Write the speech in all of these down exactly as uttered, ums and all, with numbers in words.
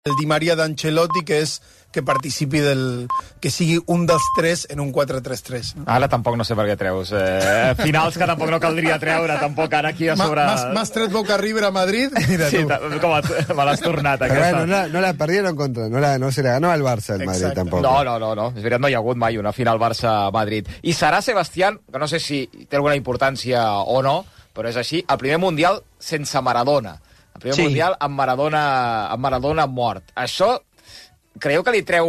el Di Maria d'Ancelotti, que és que participi del... que sigui un dels tres en un quatre tres tres. Ara tampoc no sé per què treus. Eh, finals que tampoc no caldria treure, tampoc ara aquí a sobre... M'has tret Boca River a Madrid? Mira sí, tu. Com me l'has tornat, aquesta. Bueno, no, la, no la perdieron contra... No, la, no se la ganó al Barça el Madrid, Exacte. tampoc. No, no, no, no. És veritat, no hi ha hagut mai una final Barça-Madrid. I serà Sebastián, que no sé si té alguna importància o no, però és així, el primer Mundial sense Maradona. El primer sí. Mundial amb Maradona, amb Maradona mort. Això, creieu que li treu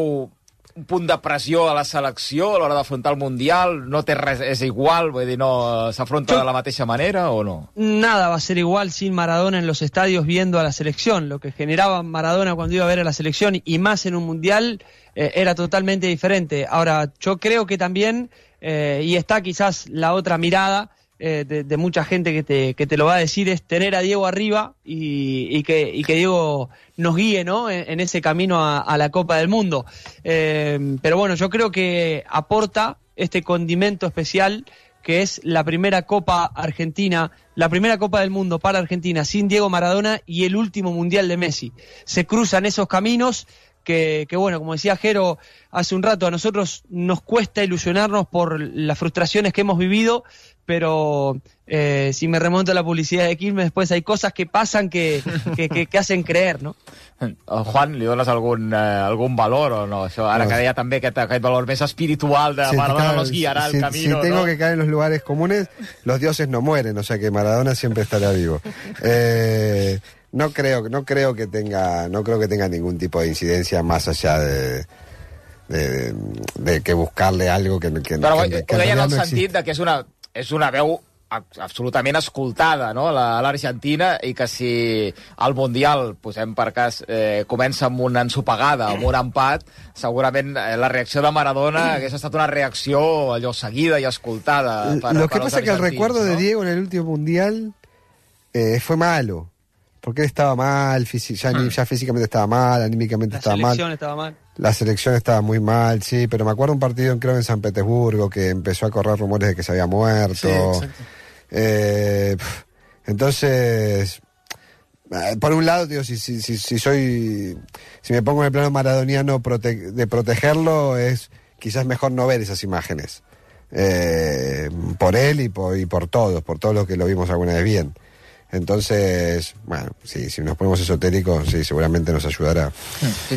un punt de pressió a la selecció a l'hora d'afrontar el Mundial? No té res, és igual, vull dir, no s'afronta de la mateixa manera o no? Nada va a ser igual sin Maradona en los estadios viendo a la selección. Lo que generaba Maradona cuando iba a ver a la selección y más en un Mundial eh, era totalmente diferente. Ahora, yo creo que también, eh, y está quizás la otra mirada eh, de, de mucha gente que te, que te lo va a decir, es tener a Diego arriba y, y, que, y que Diego nos guíe, ¿no? en, en ese camino a, a la Copa del Mundo. Eh, pero bueno, yo creo que aporta este condimento especial que es la primera Copa Argentina, la primera Copa del Mundo para Argentina sin Diego Maradona y el último Mundial de Messi. Se cruzan esos caminos que, que bueno, como decía Jero hace un rato, a nosotros nos cuesta ilusionarnos por las frustraciones que hemos vivido, pero eh, si me remonto a la publicidad de Quilmes, después hay cosas que pasan que, que, que, que hacen creer, ¿no? Juan, li dones algun, eh, algun valor o no? Això, ara no. Que deia també aquest, aquest valor més espiritual de sí, Maradona claro, nos guiará si, el camino. Si tengo ¿no? que caer en los lugares comunes, los dioses no mueren, o sea que Maradona siempre estará vivo. Eh, no creo, no creo que tenga, no creo que tenga ningún tipo de incidencia más allá de... De, de, de que buscarle algo que, que, Però que, que ho deia en el no sentit de que és una, és una veu absolutament escoltada, no?, a l'Argentina, i que si el Mundial, posem per cas, eh, comença amb una ensopegada, amb un empat, segurament eh, la reacció de Maradona hagués estat una reacció allò seguida i escoltada per, Lo que per pasa es que el recuerdo, ¿no?, de Diego en el último Mundial eh, fue malo, porque él estaba mal, ya, hmm. ya físicamente estaba mal, anímicamente la estaba mal. La selección estaba mal. La selección estaba muy mal, sí, pero me acuerdo un partido, creo, en San Petersburgo, que empezó a correr rumores de que se había muerto. Sí, exacto. Eh, entonces, por un lado, digo, si, si, si, si soy, si me pongo en el plano maradoniano prote- de protegerlo, es quizás mejor no ver esas imágenes. Eh, por él y por, y por todos, por todos los que lo vimos alguna vez bien. Entonces, bueno, sí, si nos ponemos esotéricos, sí, seguramente nos ayudarà.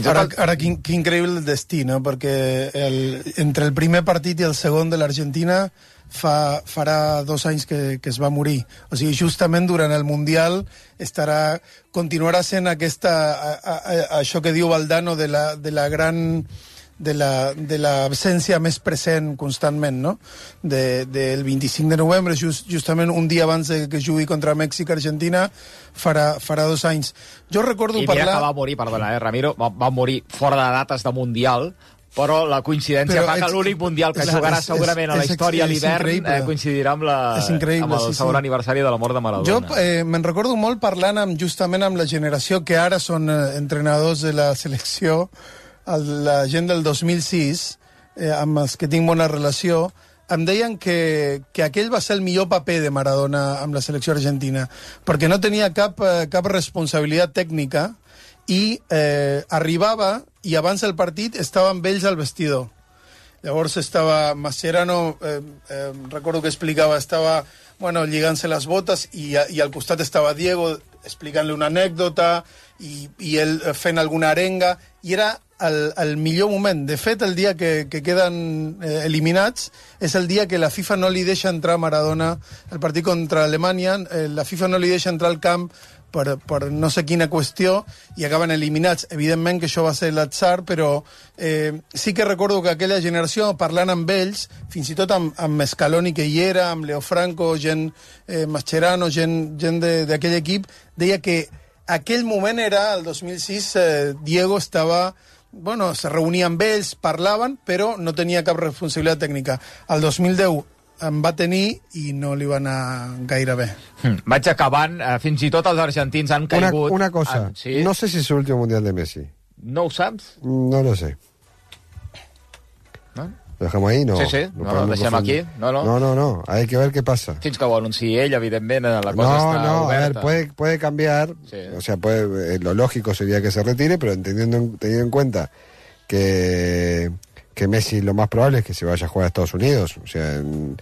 Ara, ara quin, quin increïble el destí, no? Perquè el, entre el primer partit i el segon de l'Argentina fa, farà dos anys que, que es va morir. O sigui, justament durant el Mundial estarà, continuarà sent aquesta, a, a, a, això que diu Valdano de la, de la gran... de la, de l'absència més present constantment, no? De, del vint-i-cinc de novembre, just, justament un dia abans de que jugui contra Mèxic-Argentina, farà, farà dos anys. Jo recordo I parlar... I que va morir, perdona, eh, Ramiro, va, va morir fora de dates de Mundial, però la coincidència però fa que l'únic Mundial que jugarà és, segurament és, a la història a l'hivern eh, coincidirà amb, la, amb el sí, segon sí. aniversari de la mort de Maradona. Jo eh, me'n recordo molt parlant amb, justament amb la generació que ara són eh, entrenadors de la selecció, la gent del dos mil sis, eh, amb els que tinc bona relació, em deien que, que aquell va ser el millor paper de Maradona amb la selecció argentina, perquè no tenia cap, eh, cap responsabilitat tècnica i eh, arribava i abans del partit estava amb ells al vestidor. Llavors estava Mascherano, eh, eh, recordo que explicava, estava bueno, lligant-se les botes i, i al costat estava Diego explicant-li una anècdota i, i ell fent alguna arenga, i era el, el millor moment. De fet, el dia que, que queden eh, eliminats és el dia que la FIFA no li deixa entrar Maradona al partit contra Alemanya, eh, la FIFA no li deixa entrar al camp per, per no sé quina qüestió i acaben eliminats. Evidentment que això va ser l'atzar, però eh, sí que recordo que aquella generació, parlant amb ells, fins i tot amb, amb Scaloni que hi era, amb Leo Franco, gent eh, Mascherano, gent, gent d'aquell equip, deia que aquell moment era, el dos mil sis, eh, Diego estava... Bueno, se reunia amb ells, parlaven, però no tenia cap responsabilitat tècnica. El dos mil deu en va tenir i no li va anar gaire bé. Hmm. Vaig acabant, eh, fins i tot els argentins han caigut... Una, una cosa, ah, ¿sí? No sé si es el último Mundial de Messi. ¿No ho saps? No lo sé. ¿No? ¿Lo dejamos ahí? No. Sí, sí, no, no deixem aquí. No, no. no, no, no, hay que ver qué pasa. Fins que ho anunciï ell, evidentment, la cosa no, està no, oberta. a ver, puede, puede cambiar, sí. O sea, puede, eh, lo lógico sería que se retire, pero entendiendo, teniendo en cuenta que, que Messi lo más probable es que se vaya a jugar a Estados Unidos, o sea, en,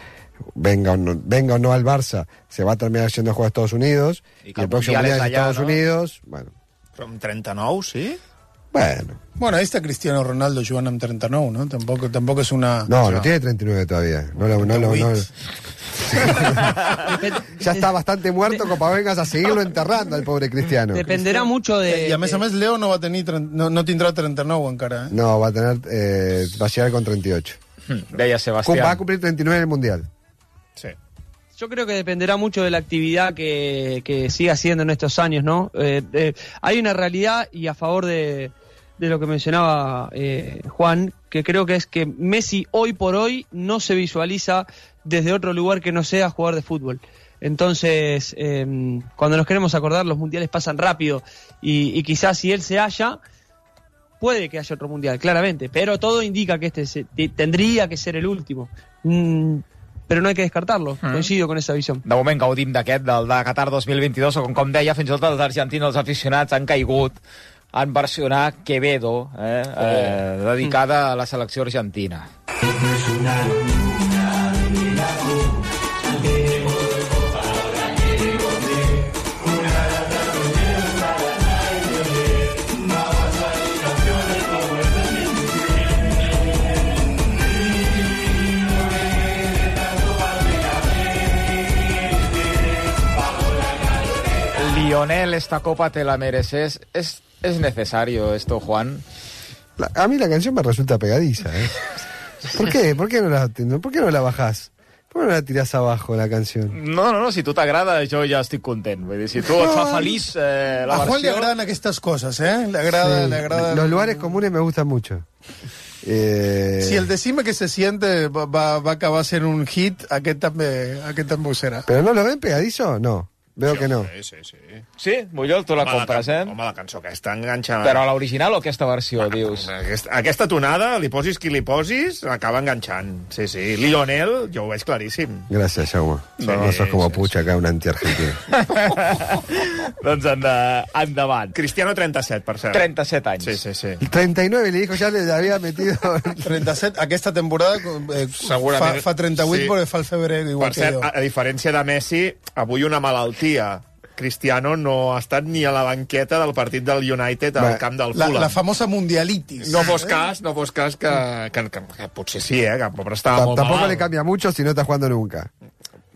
venga, o no, venga o no al Barça, se va a terminar yendo a jugar a Estados Unidos, y, y el próximo mundial es Estados ¿no? Unidos, bueno. Però amb trenta-nou, sí? Bueno. Bueno, ahí está Cristiano Ronaldo jugando en treinta-nou, ¿no? Tampoco, tampoco es una... No, o sea, no tiene treinta y nueve todavía. No, no, no, no, no. Ya está bastante muerto como para vengas a seguirlo enterrando al pobre Cristiano. Dependerá mucho de... Y a mes a mes Leo no va a tener... No, no tendrá treinta-nou encara, ¿eh? No, va a tener... Eh, va a llegar con treinta y ocho. Deia Sebastián. Va a cumplir treinta y nueve en el Mundial. Sí. Yo creo que dependerá mucho de la actividad que, que siga haciendo en estos años, ¿no? Eh, eh, hay una realidad, y a favor de, de lo que mencionaba eh, Juan, que creo que es que Messi hoy por hoy no se visualiza desde otro lugar que no sea jugar de fútbol. Entonces, eh, cuando nos queremos acordar, los mundiales pasan rápido, y, y quizás si él se haya, puede que haya otro mundial, claramente, pero todo indica que este se, tendría que ser el último. Mm, però no hay que descartarlo, mm. coincido con esa visión. De moment gaudim d'aquest, del de Qatar dos mil vint-i-dos, o com, com deia, fins i tot els argentins, els aficionats, han caigut en versionar Quevedo, eh, oh. eh, dedicada a la selecció argentina. Lionel, esta copa te la mereces. ¿Es, es necesario esto, Juan? La, a mí la canción me resulta pegadiza, ¿eh? ¿Por qué? ¿Por qué no la, ¿por qué no la bajás? ¿Por qué no la tirás abajo, la canción? No, no, no, si tu t'agrada, jo ja estic content. Vull dir, si tu et fa feliç eh, la a versió... Juan le agradan estas cosas, ¿eh? Le agrada, sí, le agrada... Los lugares comunes me gustan mucho. Eh... Si el Decime que se siente va, va, va acabar sent un hit, aquest també, aquest també ho serà. ¿Pero no lo ven pegadizo? No. Veo que no. Sí, sí, sí. Sí? Bullol, tu la home, compres, la, eh? Home, la cançó aquesta enganxa... Però l'original o aquesta versió, ah, dius? Aquesta, aquesta tonada, li posis qui li posis, acaba enganxant. Sí, sí. Lionel, jo ho veig claríssim. Gracias, Jaume. Sí, no, no sos como sí, Pucha, acá un anti-argentino. Doncs enda, endavant. Cristiano, trenta-set, per cert. trenta-set anys. Sí, sí, sí. treinta y nueve, le dijo, ya le había metido... trenta-set, aquesta temporada eh, fa, fa trenta-vuit, sí. Perquè fa el febrer, igual per cert, que jo. A, a diferència de Messi, avui una malaltia. Cristiano no ha estat ni a la banqueta del partit del United al camp del Fulham. La, la famosa mundialitis. No fos cas, no fos cas que, que, que, que potser sí, eh, que però estava molt Tampoco malalt. le cambia mucho si no está jugando nunca.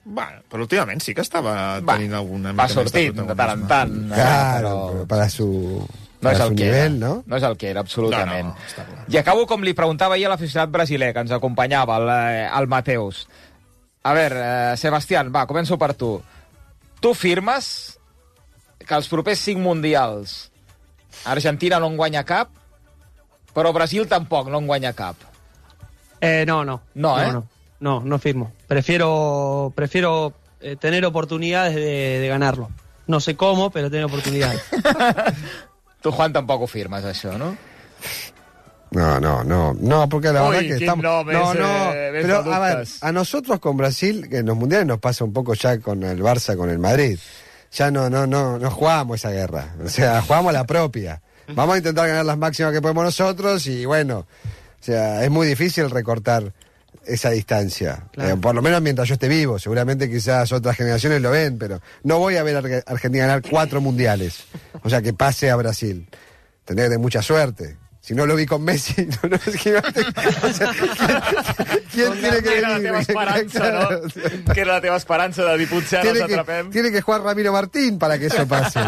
Bueno, però últimament sí que estava Va, tenint alguna... Va sortint de tant en tant. Claro, però... pero para su... No és, su el que nivel, era. ¿no? No és el que era, absolutament. No, no, està clar. I acabo com li preguntava ahir a l'aficionat brasiler que ens acompanyava, el, el Mateus. A veure, eh, Sebastián, va, començo per tu. Tu firmes que els propers cinc mundials Argentina no en guanya cap, però Brasil tampoc no en guanya cap. Eh, no, no. No, ¿eh? No, no, no, no firmo. Prefiero, prefiero eh, tener oportunidades de, de ganarlo. No sé cómo, pero tener oportunidades. Tu, Juan, tampoc ho firmes, això, no? No, no, no, no, porque la Uy, verdad que quin estamos... nom no, és, no, eh, pero ves a ver, adultes. a nosotros con Brasil, que en los mundiales nos pasa un poco ya con el Barça, con el Madrid. Ya no, no, no, no jugamos esa guerra. O sea, jugamos la propia. Vamos a intentar ganar las máximas que podemos nosotros y bueno, o sea, es muy difícil recortar esa distancia. Claro. Eh, por lo menos mientras yo esté vivo. Seguramente quizás otras generaciones lo ven, pero no voy a ver a Arge- Argentina ganar cuatro mundiales. O sea, que pase a Brasil. Tendría que tener mucha suerte. Si no lo vi con Messi, no, no, es que, o sea, ¿quién, ¿quién tiene que Era la venir? teva esperança, no? Que era la teva esperança de dir potser ara els Tiene que, atrapem. tiene que jugar Ramiro Martín para que eso pase.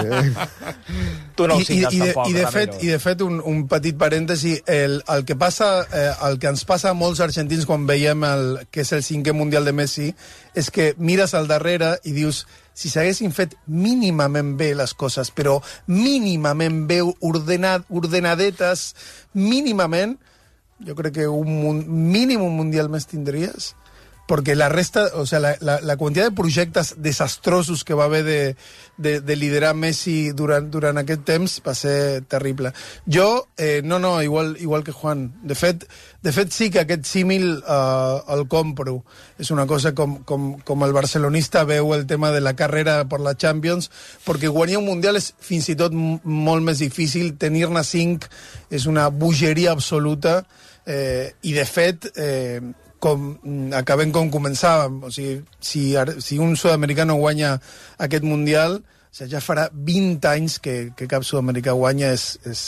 Tu no ho I, i, signes i, de, tampoc, i, de Ramiro. fet, I de fet, un, un petit parèntesi, el, el, que passa, eh, el que ens passa a molts argentins quan veiem el, que és el cinquè Mundial de Messi és que mires al darrere i dius, si s'haguessin fet mínimament bé les coses, però mínimament bé ordenad, ordenadetes, mínimament, jo crec que un, un mínim un Mundial més tindries, porque la resta, o sea, la, la, la quantitat de projectes desastrosos que va haver de, de, de liderar Messi durant, durant aquest temps va ser terrible. Jo, eh, no, no, igual, igual que Juan. De fet, de fet sí que aquest símil eh, el compro. És una cosa com, com, com el barcelonista veu el tema de la carrera per la Champions, perquè guanyar un Mundial és fins i tot molt més difícil, tenir-ne cinc és una bogeria absoluta, eh, i de fet... Eh, com, acabem com començàvem, o sigui, si, si un sud-americà no guanya aquest Mundial, o sigui, ja farà vint anys que, que cap sud-americà guanya, és, és,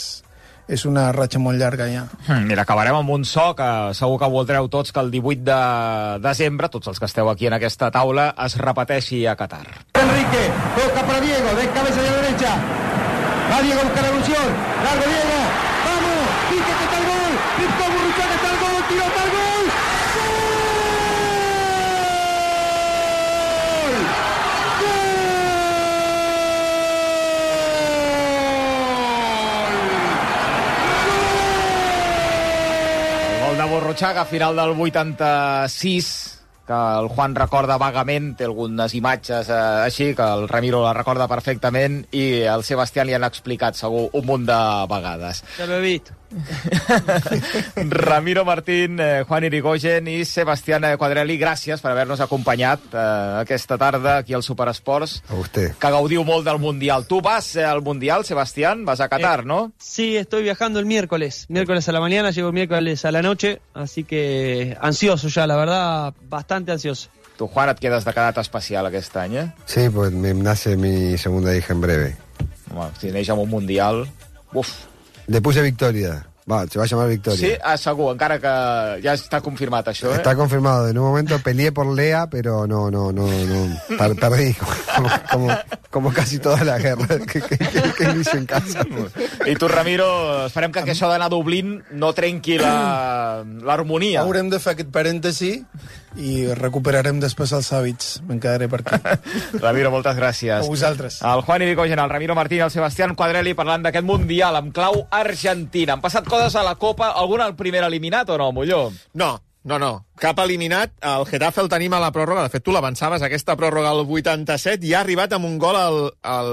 és una ratxa molt llarga ja. Mira, acabarem amb un so que segur que voldreu tots que el divuit de desembre, tots els que esteu aquí en aquesta taula, es repeteixi a Qatar. Enrique, toca para Diego, de cabeza de la derecha, va Diego a buscar la evolución, largo Diego, vamos, Quique que está el gol, Víctor Burruchaga está el gol, tiro para el gol. De Burruchaga, final del vuitanta-sis, que el Juan recorda vagament, té algunes imatges eh, així, que el Ramiro la recorda perfectament, i el Sebastián li han explicat segur un munt de vegades. Ja l'he vist. Ramiro Martín, eh, Juan Irigoyen i Sebastián Quadrelli, gràcies per haver-nos acompanyat eh, aquesta tarda aquí al Superesports. A usted. Que gaudiu molt del Mundial. Tu vas al Mundial, Sebastián? Vas a Qatar, eh, ¿no? Sí, estoy viajando el miércoles. Miércoles a la mañana, llego miércoles a la noche, así que ansioso ya, la verdad, bastante ansioso. Tu, Juan, et quedes de quedat especial aquest any, eh? Sí, pues me nace mi segunda hija en breve. Home, si neix amb un Mundial... Uf. Le puse Victoria. Va, se va a llamar Victoria. Sí, ah, segur, encara que ja està confirmat això, eh? Está confirmado. En un momento peleé por Lea, pero no, no, no, no. Per perdí, como, como, como casi toda la guerra que, que, que, que hice en casa. I tu, Ramiro, esperem que això d'anar a Dublín no trenqui l'harmonia. Haurem de fer aquest parèntesi i recuperarem després els hàbits. Me'n quedaré per aquí. Ramiro, moltes gràcies. A vosaltres. El Juan Irigoyen, el Ramiro Martín i el Sebastián Quadrelli parlant d'aquest Mundial amb clau Argentina. Han passat coses a la Copa. Algun el primer eliminat o no, Molló? No, no, no. Cap eliminat. El Getafe el tenim a la pròrroga. De fet, tu l'avançaves, aquesta pròrroga al vuitanta-set, i ha arribat amb un gol al, al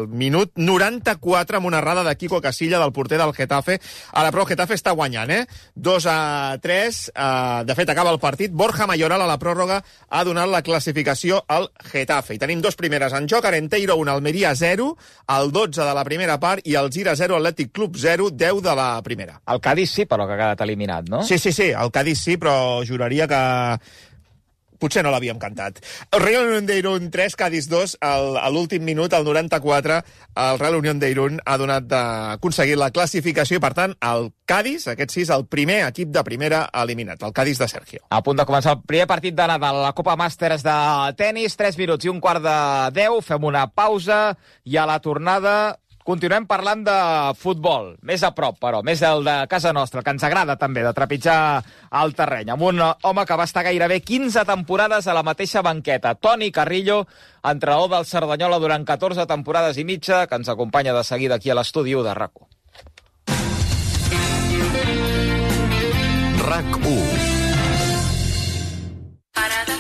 minut noranta-quatre amb una errada de Kiko Casilla, del porter del Getafe. Ara, però, el Getafe està guanyant, eh? dos a tres. Uh, de fet, acaba el partit. Borja Mayoral a la pròrroga ha donat la classificació al Getafe. I tenim dos primeres en joc. Arenteiro un, Almeria zero, el dotze de la primera part, i el Gira zero, Atlètic Club zero, deu de la primera. El Cádiz sí, però que ha quedat eliminat, no? Sí, sí, sí. El Cádiz sí, però juraria que potser no l'havíem cantat. El Real Unión de Irún tres, Cádiz dos, el, a l'últim minut, al noranta-quatre, el Real Unión de Irún ha donat d'aconseguir la classificació i, per tant, el Cádiz, aquest sí, és el primer equip de primera eliminat, el Cádiz de Sergio. A punt de començar el primer partit de Nadal a la Copa Màsters de tenis, tres minuts i un quart de deu, fem una pausa i a la tornada continuem parlant de futbol, més a prop, però, més el de casa nostra, que ens agrada també, de trepitjar el terreny, amb un home que va estar gairebé quinze temporades a la mateixa banqueta, Toni Carrillo, entrenador del Cerdanyola durant catorze temporades i mitja, que ens acompanya de seguida aquí a l'estudi de RAC u. RAC u.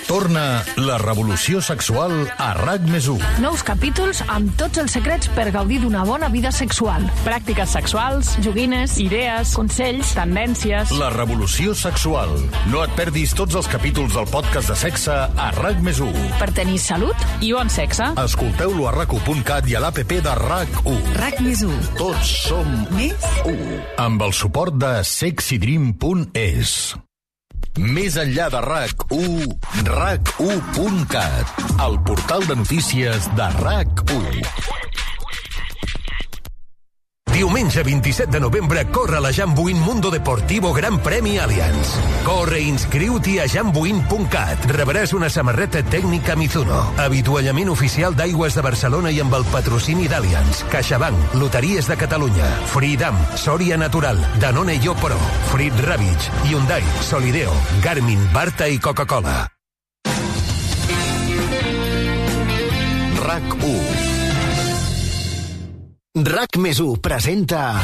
Torna la revolució sexual a RAC més u. Nous capítols amb tots els secrets per gaudir d'una bona vida sexual. Pràctiques sexuals, joguines, idees, consells, tendències... La revolució sexual. No et perdis tots els capítols del podcast de sexe a RAC més u. Per tenir salut i bon sexe. Escolteu-lo a rac u punt cat i a l'app de RAC u. RAC més u. Tots som més u. Amb el suport de sexydream punt es. Més enllà de RAC u, rac u punt cat, el portal de notícies de RAC u. Diumenge vint-i-set de novembre corre la Jambuin Mundo Deportivo Gran Premi Allianz. Corre i inscriu-t'hi a jambuin punt cat. Rebràs una samarreta tècnica Mizuno, avituallament oficial d'Aigües de Barcelona i amb el patrocini d'Allianz, CaixaBank, Loteries de Catalunya, Freedom, Soria Natural, Danone Yo Pro, Frit Ravitch, Hyundai, Solideo, Garmin, Barta i Coca-Cola. RAC u. RAC més u presenta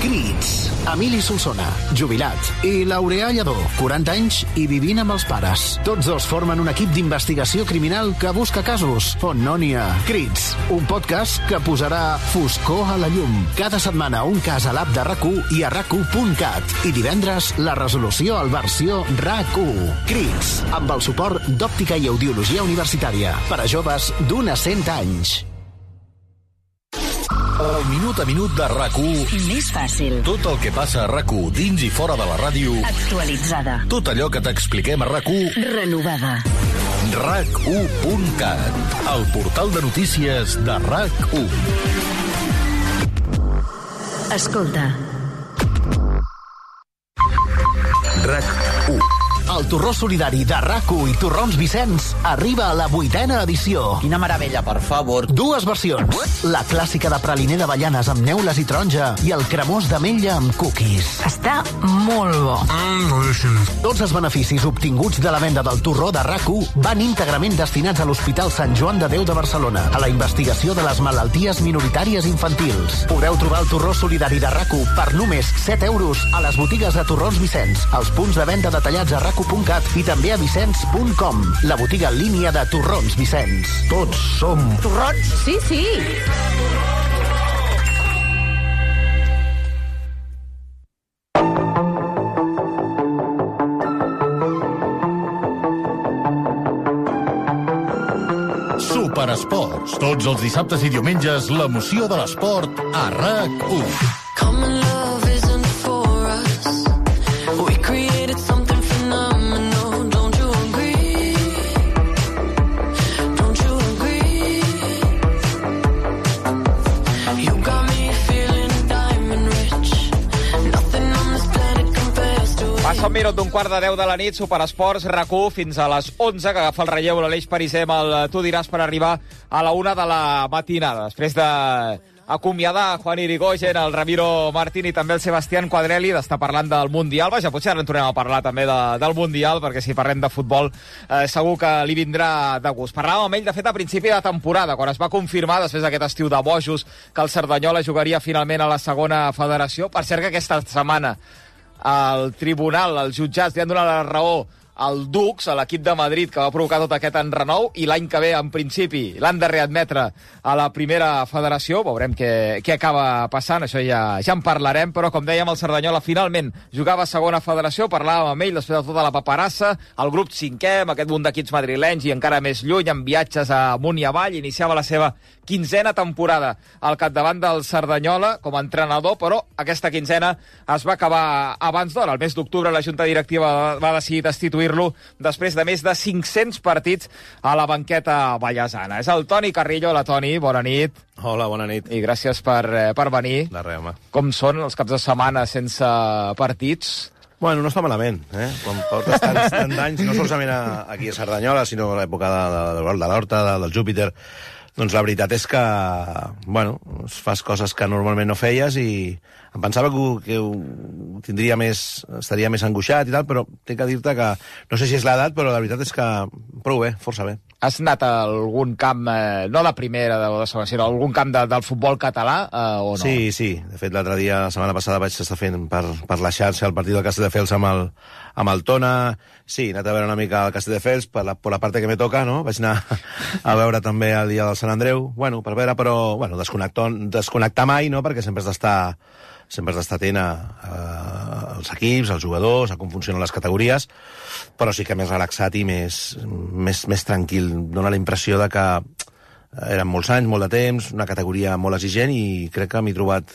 Crits. Emili Solsona, jubilat. I Laureà Lledó, quaranta anys i vivint amb els pares. Tots dos formen un equip d'investigació criminal que busca casos on no n'hi ha. Crits, un podcast que posarà foscor a la llum. Cada setmana un cas a l'app de RAC u i a rac u punt cat. I divendres la resolució al versió RAC u. Crits, amb el suport d'Òptica i Audiologia Universitària. Per a joves d'un a cent anys. El minut a minut de RAC u. Més fàcil. Tot el que passa a RAC u dins i fora de la ràdio. Actualitzada. Tot allò que t'expliquem a RAC u. Renovada. rac u punt cat. El portal de notícies de RAC u. Escolta. RAC u. El torró solidari de RAC u i Torrons Vicenç arriba a la vuitena edició. Quina meravella, per favor. Dues versions. La clàssica de praliner d'avellanes amb neules i taronja i el cremós d'ametlla amb cookies. Està molt bo. Mm, Tots els beneficis obtinguts de la venda del torró de RAC u van íntegrament destinats a l'Hospital Sant Joan de Déu de Barcelona, a la investigació de les malalties minoritàries infantils. Podeu trobar el torró solidari de RAC u per només set euros a les botigues de Torrons Vicenç, als punts de venda detallats a rac u punt cat i també a vicenç punt com, la botiga en línia de Torrons Vicenç. Tots som... Torrons? Sí, sí. Superesports. Tots els dissabtes i diumenges, l'emoció de l'esport a RAC u. Passa un minut d'un quart de deu de la nit, Superesports, RAC u, fins a les onze, que agafa el relleu l'Aleix Pariser amb el Tu diràs per arribar a la una de la matinada. Després de acomiadar Juan Irigoyen, el Ramiro Martín i també el Sebastián Quadrelli, d'estar parlant del Mundial. Vaja, potser ara en tornem a parlar també de, del Mundial, perquè si parlem de futbol eh, segur que li vindrà de gust. Parlàvem amb ell, de fet, a principi de temporada, quan es va confirmar, després d'aquest estiu de bojos, que el Cerdanyola jugaria finalment a la segona federació. Per cert, que aquesta setmana al tribunal, als jutjats, li han donat la raó al Dux, a l'equip de Madrid, que va provocar tot aquest enrenou, i l'any que ve, en principi, l'han de readmetre a la primera federació. Veurem què, què acaba passant, això ja, ja en parlarem, però com dèiem, el Cerdanyola finalment jugava a segona federació, parlàvem amb ell després de tota la paperassa, el grup cinquè, amb aquest munt d'equips madrilenys i encara més lluny, amb viatges amunt i avall, iniciava la seva quinzena temporada al capdavant del Cerdanyola com a entrenador, però aquesta quinzena es va acabar abans d'hora. El mes d'octubre la Junta Directiva va decidir destituir-lo després de més de cinc-cents partits a la banqueta ballesana. És el Toni Carrillo. Hola, Toni, bona nit. Hola, bona nit. I gràcies per, per venir. De res, home. Com són els caps de setmana sense partits? Bueno, no està malament, eh? Quan portes tants, tants anys, no solament aquí a Cerdanyola, sinó a l'època de, de, de l'Horta, de, del Júpiter, doncs la veritat és que, bueno, fas coses que normalment no feies i em pensava que, ho, que ho tindria més, estaria més angoixat i tal, però tinc que dir-te que, no sé si és l'edat, però la veritat és que prou bé, força bé. Has anat a algun camp, eh, no de primera o de segona, sinó algun camp de, del futbol català, eh, o no? Sí, sí. De fet, l'altre dia, la setmana passada, vaig estar fent per, per la xarxa el partit del Castelldefels amb el, amb el Tona. Sí, he anat a veure una mica el Castelldefels per la, per la part que me toca, no? Vaig anar a veure també el dia del Sant Andreu, bueno, per veure, però, bueno, desconnectar, desconnectar mai, no?, perquè sempre has d'estar sempre has d'estar atent a, a, als equips, als jugadors, a com funcionen les categories, però sí que més relaxat i més, més, més tranquil. Dóna la impressió de que eren molts anys, molt de temps, una categoria molt exigent i crec que m'he trobat,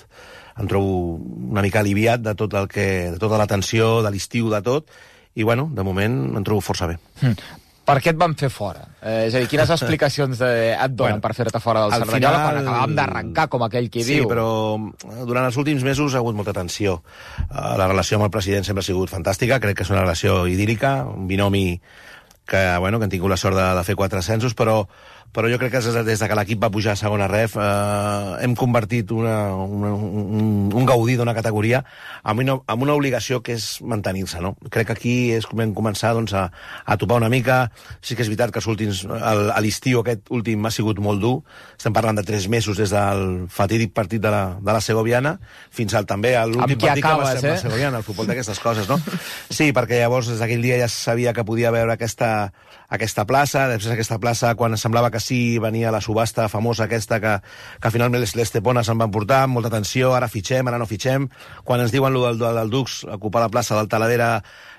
em trobo una mica aliviat de tot el que, de tota la tensió, de l'estiu, de tot, i bueno, de moment em trobo força bé. Mm. Per què et van fer fora? Eh, és a dir, quines explicacions de, et donen bueno, per fer-te fora del Cerdanyola final... quan acabàvem d'arrencar, com aquell qui sí, diu? Sí, però durant els últims mesos ha hagut molta tensió. Uh, la relació amb el president sempre ha sigut fantàstica, crec que és una relació idílica, un binomi que, bueno, que han tingut la sort de, de fer quatre ascensos, però, però jo crec que des de que l'equip va pujar a segona ref eh, hem convertit una, una, un, un gaudí d'una categoria amb una, amb una obligació que és mantenir-se, no? Crec que aquí és com vam començar doncs, a, a topar una mica. Sí que és veritat que els últims, el, a l'estiu aquest últim ha sigut molt dur. Estem parlant de tres mesos des del fatídic partit de la, de la Segoviana fins al també a l'últim partit acabes, que va ser eh? la Segoviana, el futbol d'aquestes coses, no? Sí, perquè llavors des d'aquell dia ja sabia que podia veure aquesta, aquesta plaça, després aquesta plaça quan semblava que sí venia la subhasta famosa aquesta que, que finalment les, les Tepones se'n van portar amb molta tensió, ara fitxem, ara no fitxem. Quan ens diuen lo del, del Dux, ocupar la plaça del Talavera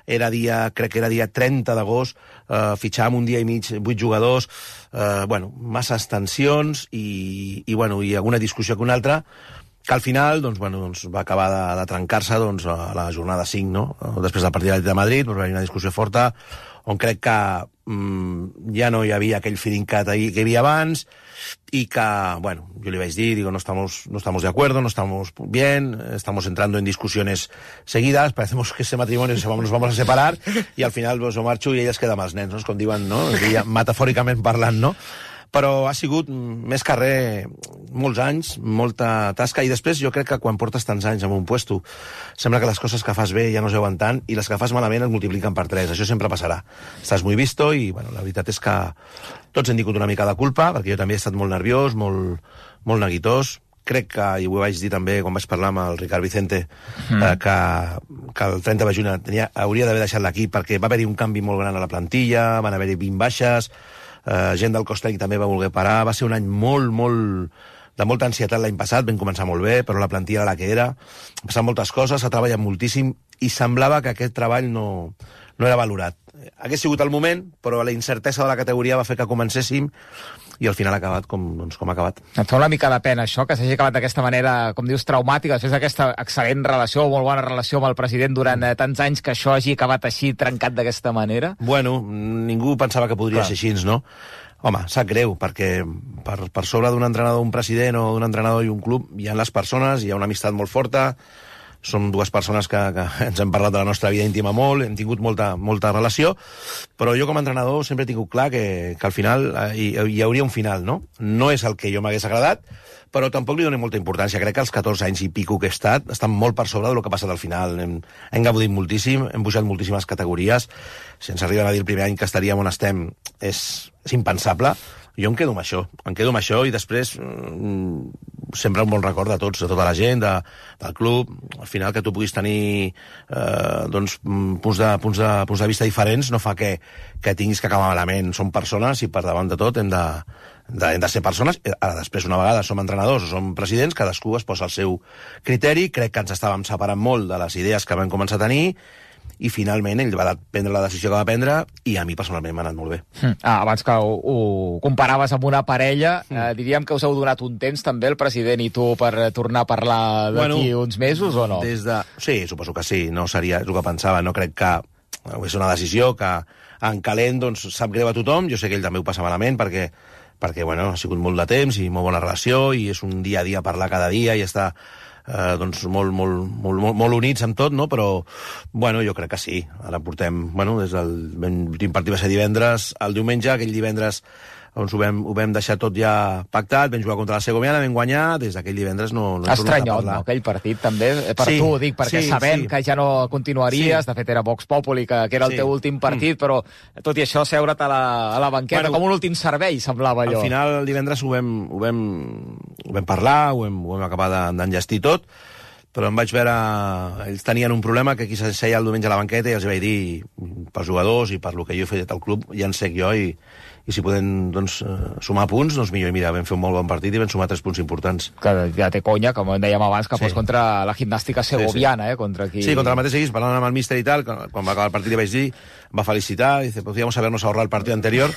era dia, crec que era dia trenta d'agost, eh, fitxàvem un dia i mig vuit jugadors, eh, bueno, masses tensions i, i, bueno, i alguna discussió que una altra, que al final doncs, bueno, doncs, va acabar de, de trencar-se doncs, a la jornada cinc, no? Després del partit de Madrid, doncs, va haver una discussió forta on crec que mm, ja no hi havia aquell feeling que, que hi havia abans y que, bueno, yo le vais a decir, digo, no estamos, no estamos de acuerdo, no estamos bien, estamos entrando en discusiones seguidas, parecemos que ese matrimonio se vamos, nos vamos a separar y al final pues, jo marxo i ella es queda amb els nens, no? Com diuen, no? Metafòricament parlant, no? Però ha sigut més que res molts anys, molta tasca, i després jo crec que quan portes tants anys en un puesto sembla que les coses que fas bé ja no es veuen tant i les que fas malament es multipliquen per tres. Això sempre passarà. Estàs muy visto i bueno, la veritat és que tots hem tingut una mica de culpa, perquè jo també he estat molt nerviós, molt, molt neguitós. Crec que, i ho vaig dir també quan vaig parlar amb el Ricard Vicente, mm. eh, que, que el trenta de juny tenia, hauria d'haver deixat l'equip perquè va haver-hi un canvi molt gran a la plantilla, van haver-hi vint baixes, Uh, gent del cos tècnic també va voler parar, va ser un any molt, molt de molta ansietat l'any passat, vam començar molt bé, però la plantilla era la que era, ha passat moltes coses, s'ha treballat moltíssim i semblava que aquest treball no, no era valorat. Hagués sigut el moment, però la incertesa de la categoria va fer que comencéssim i al final ha acabat com, doncs, com ha acabat. Et fa una mica de pena això, que s'hagi acabat d'aquesta manera, com dius, traumàtica, després d'aquesta excel·lent relació, molt bona relació amb el president durant eh, tants anys, que això hagi acabat així, trencat d'aquesta manera? Bueno, ningú pensava que podria Clar. ser així, no? Home, sap greu, perquè per, per sobre d'un entrenador, un president o d'un entrenador i un club hi ha les persones, hi ha una amistat molt forta, som dues persones que, que ens hem parlat de la nostra vida íntima molt, hem tingut molta, molta relació, però jo com a entrenador sempre he tingut clar que, que al final hi, hi hauria un final, no? No és el que jo m'hagués agradat, però tampoc li donem molta importància. Crec que els catorze anys i pico que he estat estan molt per sobre del que ha passat al final. Hem, hem gaudit moltíssim, hem pujat moltíssimes categories. Si ens arriben a dir el primer any que estaríem on estem, és, és impensable. Jo em quedo amb això, em quedo amb això i després mm, sempre un bon record de tots, de tota la gent, de, del club. Al final que tu puguis tenir eh, doncs, punts, de, punts, de, punts de vista diferents no fa que, que tinguis que acabar malament. Som persones i per davant de tot hem de, de, hem de ser persones. Ara després una vegada som entrenadors o som presidents, cadascú es posa el seu criteri. Crec que ens estàvem separant molt de les idees que vam començar a tenir i finalment ell va prendre la decisió que va prendre i a mi personalment m'ha anat molt bé. Mm. Ah, abans que ho, ho comparaves amb una parella, mm. eh, diríem que us heu donat un temps també el president i tu per tornar a parlar d'aquí bueno, uns mesos o no? Des de... Sí, suposo que sí, no seria el que pensava, no crec que és una decisió que en calent doncs, sap greu a tothom, jo sé que ell també ho passa malament perquè, perquè bueno, ha sigut molt de temps i molt bona relació i és un dia a dia parlar cada dia i està Eh, doncs molt, molt, molt, molt, molt units amb tot, no? Però bueno, jo crec que sí. Ara portem, bueno, des del l'últim partit va ser divendres, el diumenge, aquell divendres doncs ho vam, ho vam deixar tot ja pactat, vam jugar contra la Segoviana, vam guanyar, des d'aquell divendres no, no hem tornat a Estranyot, parlar. no, aquell partit també, per sí, tu ho dic, perquè sí, sabent sí. que ja no continuaries, Sí. de fet era Vox Populi, que, que era el Sí. teu últim partit, mm. però tot i això seure't a la, a la banqueta, Bueno, com un últim servei, semblava allò. Al final, el divendres ho vam, ho vam, ho vam parlar, ho vam, ho vam acabar de- d'enllestir tot, però em vaig veure... Ells tenien un problema que qui s'asseia el diumenge a la banqueta i els vaig dir, pels jugadors i per lo que jo he fet al club, ja en sec jo i, i si podem doncs, sumar punts, doncs millor. I mira, vam fer un molt bon partit i vam sumar tres punts importants. Que ja té conya, com dèiem abans, que Sí. fos contra la gimnàstica segoviana, Sí, sí. eh? Contra qui... Sí, contra el mateix equip, parlant amb el míster i tal, quan va acabar el partit li vaig dir, em va felicitar, dice, podríamos habernos ahorrado el partido anterior,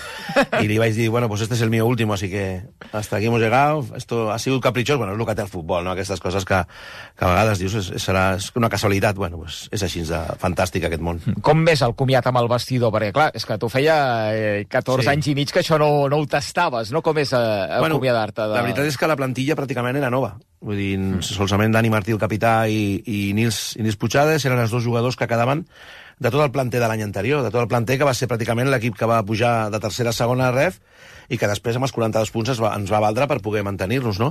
y li vaig dir, bueno, pues este es el mío último, así que hasta aquí hemos llegado, esto ha sido caprichós, bueno, és el que té el futbol, no? Aquestes coses que, que a vegades dius, és, serà és una casualitat, bueno, pues és així de fantàstic aquest món. Com ves el comiat amb el vestidor? Perquè, clar, és que tu feia eh, catorze Sí. anys i i mig que això no, no ho tastaves, no? Com és a, a Bueno, acomiadar-te? De... La veritat és que la plantilla pràcticament era nova. Vull dir, mm. solament Dani Martí, el capità, i, i, Nils, i Nils Puigades eren els dos jugadors que quedaven de tot el planter de l'any anterior, de tot el planter que va ser pràcticament l'equip que va pujar de tercera a segona ref i que després amb els quaranta-dos punts es va, ens va valdre per poder mantenir-nos, no?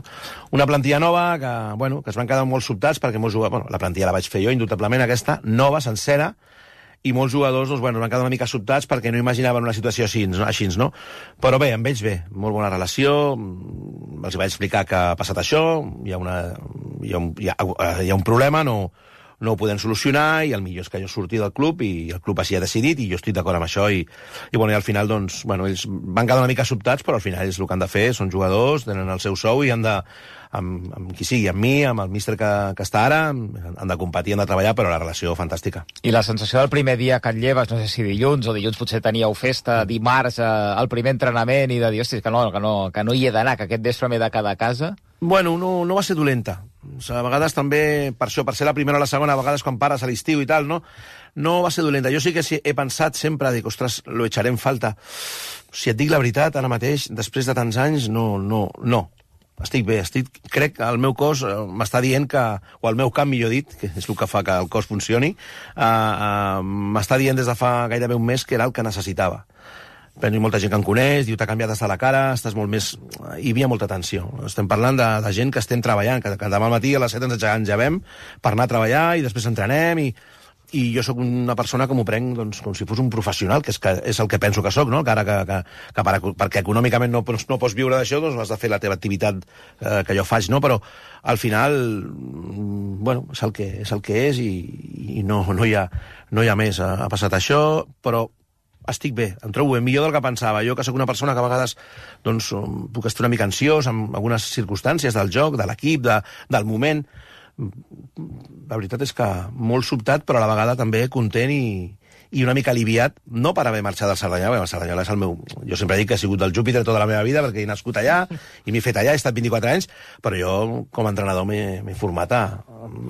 Una plantilla nova que, bueno, que es van quedar molt sobtats perquè molts jugadors... Bueno, la plantilla la vaig fer jo, indubtablement, aquesta, nova, sencera, i molts jugadors doncs, bueno, van quedar una mica sobtats perquè no imaginaven una situació així, no? així, no? Però bé, amb ells bé, molt bona relació, els vaig explicar que ha passat això, hi ha, una, hi ha, un, hi ha, hi ha un problema, no, no ho podem solucionar, i el millor és que jo surti del club, i el club així ha decidit, i jo estic d'acord amb això, i, i, bueno, i al final, doncs, bueno, ells van quedar una mica sobtats, però al final ells el que han de fer, són jugadors, tenen el seu sou, i han de, amb, amb qui sigui, amb mi, amb el míster que, que està ara, han de competir, han de treballar, però la relació fantàstica. I la sensació del primer dia que et lleves, no sé si dilluns, o dilluns potser teníeu festa, dimarts, eh, el primer entrenament, i de dir, hòstia, que no, que no, que no hi he d'anar, que aquest vespre m'he de quedar a casa... Bueno, no, no va ser dolenta. O sigui, a vegades també, per això, per ser la primera o la segona, a vegades quan pares a l'estiu i tal, no, no va ser dolenta. Jo sí que sí, he pensat sempre, dic, ostres, lo echaré en falta. Si et dic la veritat, ara mateix, després de tants anys, no, no, no. Estic bé, estic, crec que el meu cos uh, m'està dient que, o el meu camp, millor dit, que és el que fa que el cos funcioni, uh, uh, m'està dient des de fa gairebé un mes que era el que necessitava. Però hi ha molta gent que em coneix, diu, t'ha canviat hasta la cara, estàs molt més... Hi havia molta tensió. Estem parlant de, de gent que estem treballant, que, que demà al matí a les set ens engegem per anar a treballar i després entrenem, i, i jo sóc una persona que m'ho prenc doncs, com si fos un professional, que és, que és el que penso que sóc, no? Que ara que, que, que per, perquè econòmicament no, no pots viure d'això, doncs has de fer la teva activitat eh, que jo faig, no? Però al final, bueno, és el que és, el que és, i, i no, no, hi ha, no hi ha més. Ha, ha passat això, però estic bé, em trobo bé, millor del que pensava. Jo, que sóc una persona que a vegades doncs, puc estar una mica ansiós amb algunes circumstàncies del joc, de l'equip, de, del moment. La veritat és que molt sobtat, però a la vegada també content i, i una mica aliviat, no per haver marxat del Cerdanyola, el Cerdanyola és el meu... Jo sempre dic que he sigut del Júpiter tota la meva vida, perquè he nascut allà, i m'he fet allà, he estat vint-i-quatre anys, però jo, com a entrenador, m'he format a...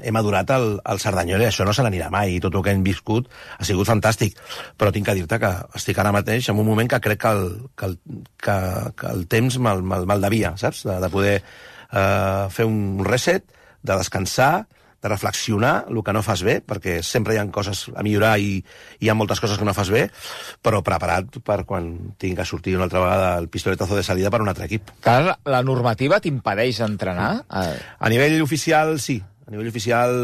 he madurat al, al Cerdanyola, i això no se n'anirà mai, i tot el que hem viscut ha sigut fantàstic. Però tinc que dir-te que estic ara mateix en un moment que crec que el, que el, que, que el temps me'l me, me devia, saps? De, de poder eh, fer un reset, de descansar, de reflexionar el que no fas bé, perquè sempre hi ha coses a millorar i hi ha moltes coses que no fas bé, però preparat per quan tinc que sortir una altra vegada el pistoletazo de salida per un altre equip. Clar, la normativa t'impedeix entrenar? A nivell oficial, sí. A nivell oficial,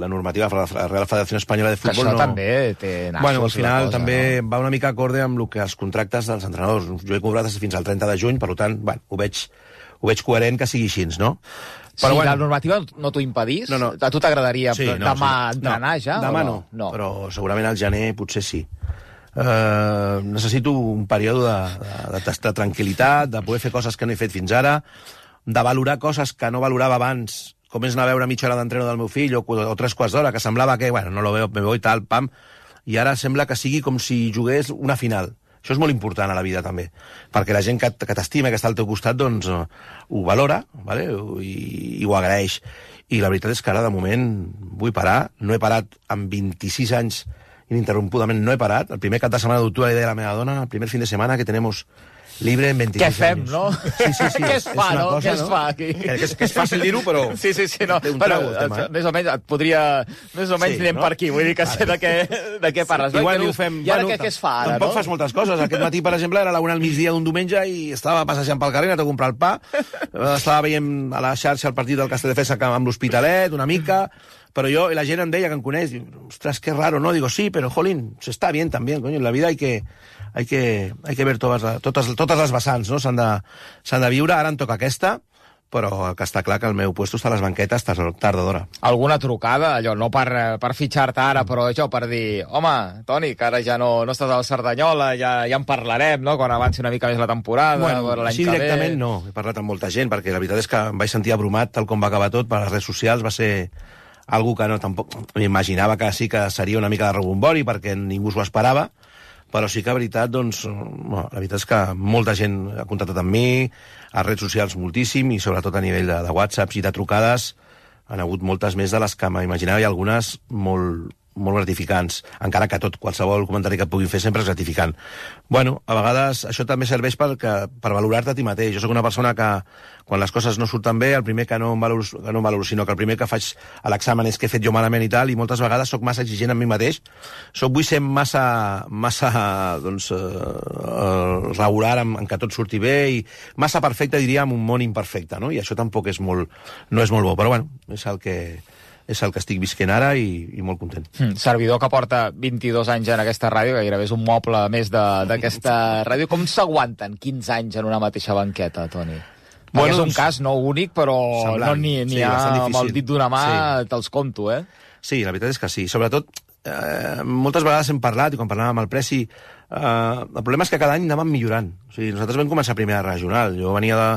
la normativa de la Real Federació Espanyola de Futbol no... no... també té nassos. Bueno, al final cosa, també no? Va una mica acorde amb el que els contractes dels entrenadors. Jo he cobrat fins al trenta de juny, per tant, bueno, ho veig, ho veig coherent que sigui així, no? Però, si bueno, la normativa no t'ho impedís, no, no. A tu t'agradaria sí, no, demà sí. entrenar no, ja? Demà no? no, no, però segurament al gener potser sí. Uh, necessito un període de, de, de, de tranquil·litat, de poder fer coses que no he fet fins ara, de valorar coses que no valorava abans, com és anar a veure mitja hora d'entreno del meu fill, o, o tres quarts d'hora, que semblava que, bueno, no lo veo, me voy tal, pam, i ara sembla que sigui com si jugués una final. Això és molt important a la vida, també, perquè la gent que, que t'estima, que està al teu costat, doncs uh, ho valora, vale? I, i ho agraeix. I la veritat és que ara, de moment, vull parar. No he parat en vint-i-sis anys ininterrompudament, no he parat. El primer cap de setmana d'octubre li deia a la meva dona, el primer fin de setmana que tenemos libre en vint-i-sis anys. Què fem, anys. no? Sí, sí, sí. Què es fa, no? Cosa, Què es no? fa aquí? Que, que, és, que és fàcil dir-ho, però... Sí, sí, sí, no. Un Però, trago, el tema, eh? Més o menys et podria... Més o menys sí, anem no? per aquí, vull dir que sé de què, de què parles. Sí, igual no? ho fem... I ara bueno, què, què es fa, ara, tampoc no? fas moltes coses. Aquest matí, per exemple, era la una al migdia d'un diumenge i estava passejant pel carrer, anat a comprar el pa, estava veient a la xarxa el partit del Castelldefels amb l'Hospitalet, una mica... Pero yo, la gent em deia que em coneix, diu, ostras, qué raro, ¿no? Digo, sí, pero, jolín, se está bien también, coño, en la vida hay que, hay que, hay que ver totes, totes, totes les vessants, no? S'han de, s'han de viure, ara em toca aquesta, però que està clar que el meu puesto està a les banquetes tard o d'hora. Alguna trucada, allò, no per, per fitxar-te ara, però això, per dir, home, Toni, que ara ja no, no estàs al Cerdanyola, ja, ja en parlarem, no?, quan avanci una mica més la temporada, bueno, l'any així que ve... directament no, he parlat amb molta gent, perquè la veritat és que em vaig sentir abrumat tal com va acabar tot per les redes socials, va ser... algú que no tampoc m'imaginava que sí que seria una mica de rebombori perquè ningú s'ho esperava, però sí que, la veritat, doncs, bueno, la veritat és que molta gent ha contactat amb mi, a redes socials moltíssim, i sobretot a nivell de, de whatsapps i de trucades han hagut moltes més de les que m'imaginava, i algunes molt, molt gratificants, encara que tot, qualsevol comentari que et puguin fer sempre és gratificant. Bueno, a vegades això també serveix per, que, per valorar-te a ti mateix. Jo sóc una persona que, quan les coses no surten bé, el primer que no em valoro, que no em valoro sinó que el primer que faig a l'examen és que he fet jo malament i tal, i moltes vegades sóc massa exigent amb mi mateix. Soc, vull ser massa, massa doncs, eh, regular en, en que tot surti bé, i massa perfecte, diria, en un món imperfecte, no? I això tampoc és molt, no és molt bo, però bueno, és el que... és el que estic visquent ara i, i molt content. Mm, servidor que porta vint-i-dos anys en aquesta ràdio, gairebé és un moble més d'aquesta ràdio. Com s'aguanten quinze anys en una mateixa banqueta, Toni? Bueno, és un doncs, cas no únic, però semblant. No n'hi sí, ha amb el dit d'una mà, sí. Te'ls conto, eh? Sí, la veritat és que sí. Sobretot, eh, moltes vegades hem parlat, i quan parlàvem amb el Preci, eh, el problema és que cada any anàvem millorant. O sigui, nosaltres vam començar a primera regional. Jo venia de,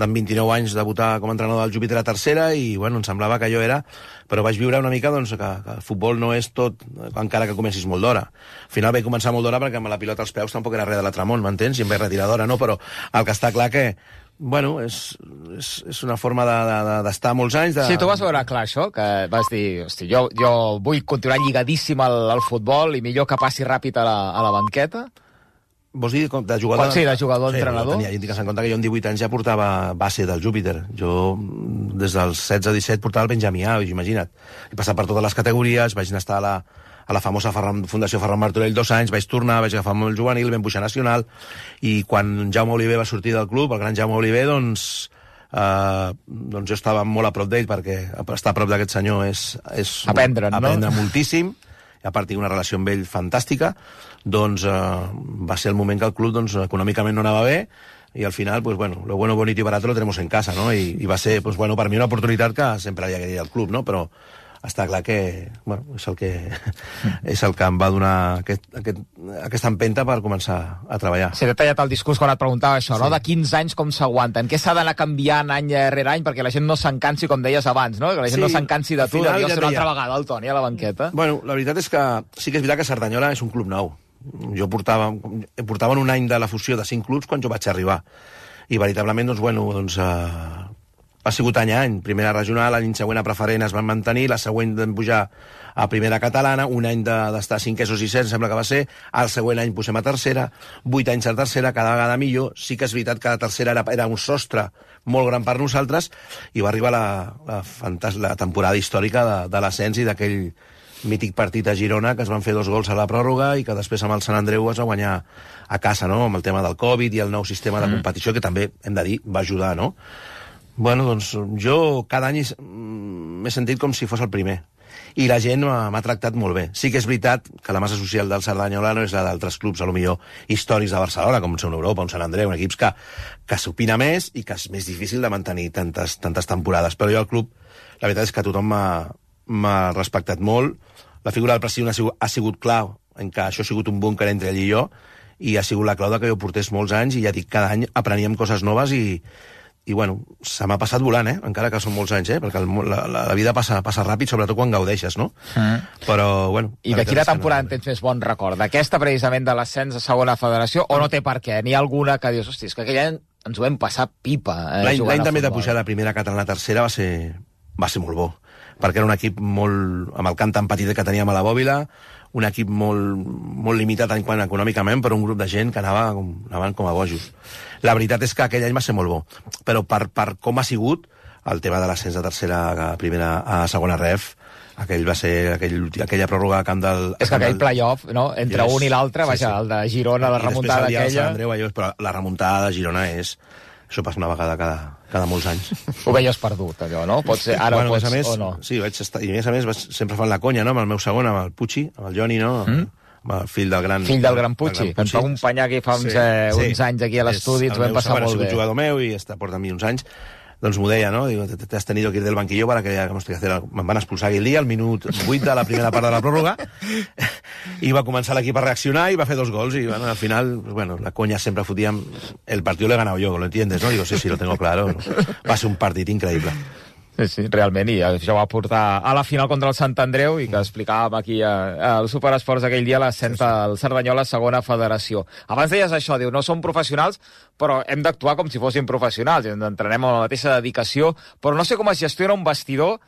d'en vint-i-nou anys debutar com a entrenador del Júpiter a tercera i, bueno, em semblava que jo era... Però vaig viure una mica, doncs, que, que el futbol no és tot, encara que comencis molt d'hora. Al final vaig començar molt d'hora perquè amb la pilota als peus tampoc era res de l'altre món, m'entens? I em vaig retirar d'hora, no? Però el que està clar que... Bueno, és, és, és una forma d'estar de, de, molts anys... De... Sí, tu vas veure clar això, que vas dir, hosti, jo, jo vull continuar lligadíssim al, al futbol i millor que passi ràpid a la, a la banqueta? Vols dir de jugador? Sí, de jugador-entrenador. Sí, tenia, en compte que jo amb divuit anys ja portava base del Júpiter. Jo, des dels setze a disset, portava el Benjamí A, imagina't. He passat per totes les categories, vaig anar a estar a la, a la famosa Ferran, Fundació Ferran Martorell dos anys, vaig tornar, vaig agafar el juvenil, vam pujar nacional, i quan Jaume Oliver va sortir del club, el gran Jaume Oliver, doncs, eh, doncs jo estava molt a prop d'ell, perquè estar a prop d'aquest senyor és, és aprendre, no? aprendre moltíssim, i a partir d'una relació amb ell fantàstica, doncs eh, va ser el moment que el club doncs, econòmicament no anava bé, i al final, pues bueno, lo bueno, bonito y barato lo tenemos en casa, no? I, i va ser, pues bueno, per mi una oportunitat que sempre hi havia al club, no? Però està clar que, bueno, és el que, és el que em va donar aquest, aquest, aquesta empenta per començar a treballar. Sí, t'he tallat el discurs quan et preguntava això, sí. No? De quinze anys com s'aguanten? Què s'ha d'anar canviant any rere any perquè la gent no s'encansi, com deies abans, no? Que la gent sí, no s'encansi de tu, de dir, ja una altra vegada el Toni a la banqueta. Bueno, la veritat és que sí que és veritat que Cerdanyola és un club nou. Jo portava, portava un any de la fusió de cinc clubs quan jo vaig arribar. I veritablement, doncs, bueno, doncs... Eh, ha sigut any a any, primera regional, l'any següent a preferent es van mantenir, la següent vam pujar a primera catalana, un any d'estar de, cinquers o sisens, sembla que va ser, el següent any posem a tercera, vuit anys a tercera, cada vegada millor, sí que és veritat que la tercera era, era un sostre molt gran per nosaltres, i va arribar la, la, fantàs, la temporada històrica de, de l'ascens i d'aquell mític partit a Girona, que es van fer dos gols a la pròrroga i que després amb el Sant Andreu es va guanyar a casa, no?, amb el tema del Covid i el nou sistema de competició, que també, hem de dir, va ajudar, no? Bueno, doncs jo cada any m'he sentit com si fos el primer. I la gent m'ha tractat molt bé. Sí que és veritat que la massa social del Cerdanyola no és la d'altres clubs, a lo millor històrics de Barcelona, com són Europa, un Sant Andreu, un equips que, que s'opina més i que és més difícil de mantenir tantes, tantes temporades. Però jo al club, la veritat és que tothom m'ha respectat molt. La figura del president ha sigut, ha sigut clau en que això ha sigut un búnquer entre ell i jo, i ha sigut la clau de que jo portés molts anys, i ja dic, cada any apreníem coses noves i i bueno, se m'ha passat volant, eh? Encara que són molts anys, eh? Perquè el, la, la vida passa, passa ràpid, sobretot quan gaudeixes, no? Mm. Però, bueno... I de quina temporada en tens més bon record? D'aquesta, precisament, de l'ascens a segona federació, o no té per què? N'hi ha alguna que dius, hosti, és que aquell any ens ho vam passar pipa, eh, L'any també de pujar de primera catalana a tercera va ser, va ser molt bo, perquè era un equip molt... amb el camp tan petit que teníem a la Bòbila, un equip molt, molt limitat en quant econòmicament, però un grup de gent que anava, anaven com a bojos. La veritat és que aquell any va ser molt bo, però per, per com ha sigut el tema de l'ascens de tercera a primera a segona ref, aquell va ser aquell, aquella pròrroga a camp del... És que aquell playoff, no?, entre un i l'altre, vaja, sí, sí. El de Girona, la remuntada aquella... I Andreu, allò, però la remuntada de Girona és... Això passa una vegada cada, cada molts anys. Ho veies perdut, allò, no? Pot ser, ara bueno, pots, a més, o no? Sí, vaig estar, i a més a més sempre fan la conya, no?, amb el meu segon, amb el Pucci, amb el Joni, no?, mm? amb el fill del gran... Fill del gran Pucci, que ens va acompanyar aquí fa uns, sí, eh, uns sí. anys aquí a l'estudi, ens ho vam passar molt bé. Ha sigut jugador meu i està, porta amb mi uns anys. Doncs m'ho deia, no? Digo, te has tenido que ir del banquillo para que hagamos que hacer... Me'n van expulsar aquell dia, al minut vuit de la primera part de la pròrroga, i va començar l'equip a reaccionar i va fer dos gols, i bueno, al final, pues, bueno, la coña sempre fotíem... El partido lo he ganado yo, ¿lo entiendes, no? Digo, sí, sí, lo tengo claro. Va ser un partit increïble. Sí, sí, realment, i això va portar a la final contra el Sant Andreu, i que explicàvem aquí al Superesports aquell dia l'ascens del Cerdanyola a segona federació. Abans deies això, diu, no som professionals, però hem d'actuar com si fóssim professionals, entrenem amb la mateixa dedicació, però no sé com es gestiona un vestidor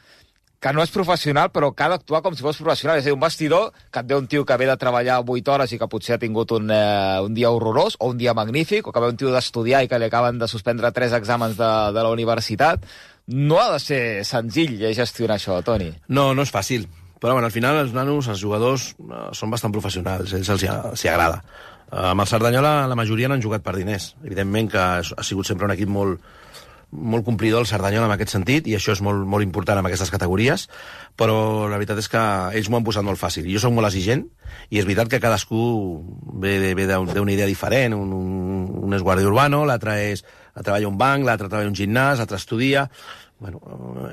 que no és professional, però que ha d'actuar com si fos professional. És a dir, un vestidor que et ve un tio que ve de treballar vuit hores i que potser ha tingut un, eh, un dia horrorós, o un dia magnífic, o que ve un tio d'estudiar i que li acaben de suspendre tres exàmens de, de la universitat. No ha de ser senzill gestionar això, Toni. No, no és fàcil. Però bueno, al final els nanos, els jugadors, eh, són bastant professionals, ells els hi, els hi agrada. Eh, amb el Cerdanyola la majoria no han jugat per diners. Evidentment que ha sigut sempre un equip molt, molt complidor el Cerdanyola en aquest sentit, i això és molt, molt important en aquestes categories, però la veritat és que ells m'ho han posat molt fàcil. Jo soc molt exigent, i és veritat que cadascú ve, ve d'una idea diferent. Un, un, un és guàrdia urbano, l'altre és, treballa un banc, l'altre treballa un gimnàs, l'altre estudia. Bueno,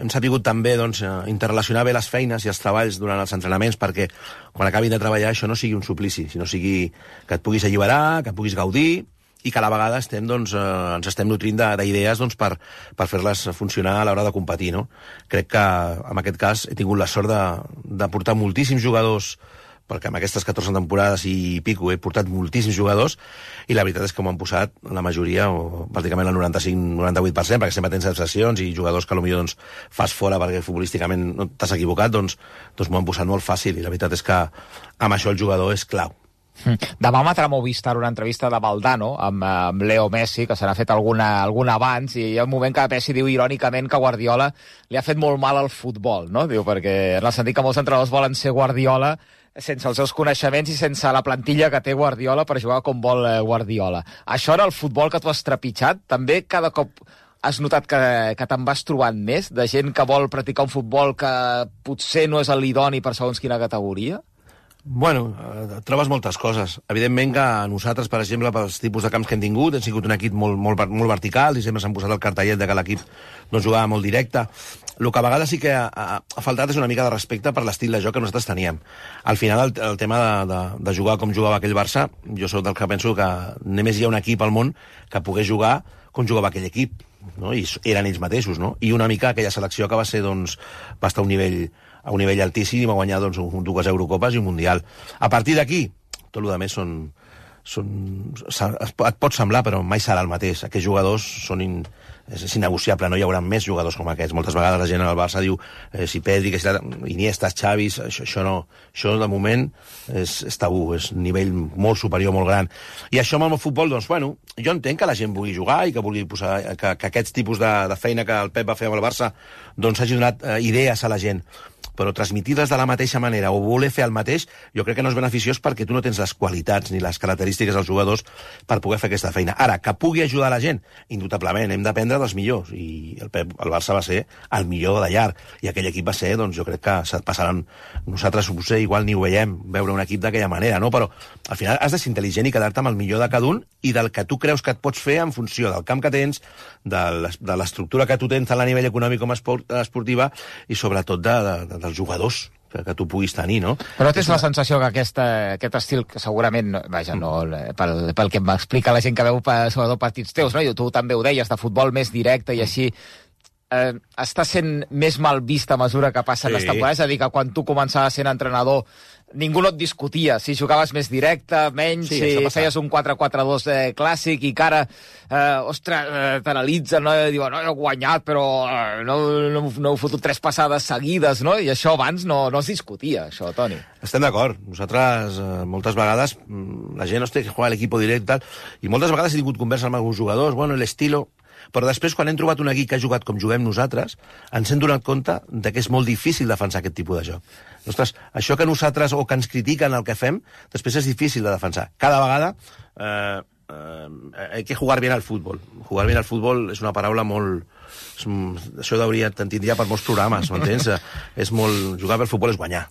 hem sabut també doncs, interrelacionar bé les feines i els treballs durant els entrenaments perquè quan acabin de treballar això no sigui un suplici, sinó sigui que et puguis alliberar, que et puguis gaudir i que a la vegada estem, doncs, eh, ens estem nutrint d'idees doncs, per, per fer-les funcionar a l'hora de competir. No? Crec que en aquest cas he tingut la sort de, de portar moltíssims jugadors, perquè amb aquestes catorze temporades i pico he portat moltíssims jugadors, i la veritat és que m'ho han posat la majoria, o pràcticament el noranta-cinc noranta-vuit per cent, perquè sempre tens excepcions i jugadors que potser doncs, fas fora perquè futbolísticament no t'has equivocat, doncs, doncs m'ho han posat molt fàcil, i la veritat és que amb això el jugador és clau. Demà emetrà Movistar una entrevista de Valdano amb, amb Leo Messi, que se n'ha fet alguna, alguna abans, i hi ha un moment que Messi diu irònicament que Guardiola li ha fet molt mal al futbol, no? Diu, perquè en el sentit que molts entrenadors volen ser Guardiola sense els seus coneixements i sense la plantilla que té Guardiola per jugar com vol Guardiola. Això era el futbol que tu has trepitjat? També cada cop has notat que, que te'n vas trobant més de gent que vol practicar un futbol que potser no és l'idoni per segons quina categoria? Bueno, eh, trobes moltes coses. Evidentment que nosaltres, per exemple, pels tipus de camps que hem tingut, hem sigut un equip molt, molt, molt vertical, i sempre s'han posat el cartellet de que l'equip no jugava molt directe. El que a vegades sí que ha, ha, ha faltat és una mica de respecte per l'estil de joc que nosaltres teníem. Al final, el, el tema de, de, de jugar com jugava aquell Barça, jo sóc del que penso que només hi ha un equip al món que pogués jugar com jugava aquell equip, no? I eren ells mateixos, no? I una mica aquella selecció que va ser, doncs, va estar a un nivell a un nivell altíssim i va guanyar doncs, dues Eurocopes i un Mundial. A partir d'aquí, tot el que més són, són... et pot semblar, però mai serà el mateix. Aquests jugadors són in, és, és innegociable, no hi haurà més jugadors com aquests. Moltes vegades la gent al Barça diu eh, si Pedri, que si la, Iniesta, Xavi, això, això no. Això de moment és, és tabú, és un nivell molt superior, molt gran. I això amb el futbol, doncs, bueno, jo entenc que la gent vulgui jugar i que vulgui posar, que, que aquests tipus de, de feina que el Pep va fer amb el Barça doncs hagi donat eh, idees a la gent, però transmitir-les de la mateixa manera o voler fer el mateix, jo crec que no és beneficiós perquè tu no tens les qualitats ni les característiques dels jugadors per poder fer aquesta feina. Ara, que pugui ajudar la gent, indubtablement, hem d'aprendre dels millors, i el, Pep, el Barça va ser el millor de llarg, i aquell equip va ser, doncs jo crec que passaran, nosaltres potser igual ni ho veiem, veure un equip d'aquella manera, no? Però al final has de ser intel·ligent i quedar-te amb el millor de cada un i del que tu creus que et pots fer en funció del camp que tens, de l'estructura que tu tens tant a nivell econòmic com esportiva, i sobretot de, de, dels jugadors que, que tu puguis tenir, no? Però tens la sensació que aquesta, aquest estil, que segurament, vaja, no, pel, pel que m'explica la gent que veu sobretot partits teus, no? I tu també ho deies, de futbol més directe i així, eh, està sent més mal vist a mesura que passen sí. les temporades, és a dir, que quan tu començaves sent entrenador ningú no et discutia, si jugaves més directe, menys, sí, si feies un quatre quatre dos eh, clàssic i que ara, eh, ostres, eh, t'analitzen, no? I diuen, no, he guanyat, però eh, no, no, no heu fotut tres passades seguides, no? I això abans no, no es discutia, això, Toni. Estem d'acord. Nosaltres, eh, moltes vegades, la gent, hòstia, que juega l'equip directe i tal, i moltes vegades he tingut conversa amb alguns jugadors, bueno, l'estilo... Però després, quan hem trobat un equip que ha jugat com juguem nosaltres, ens hem donat compte de que és molt difícil defensar aquest tipus de joc. Ostres, això que nosaltres, o que ens critiquen el que fem, després és difícil de defensar. Cada vegada eh, eh, hay que jugar bien al fútbol. Jugar bien al fútbol és una paraula molt... És, això hauria, te'n tindria per molts programes, m'entens? És molt... Jugar pel futbol és guanyar.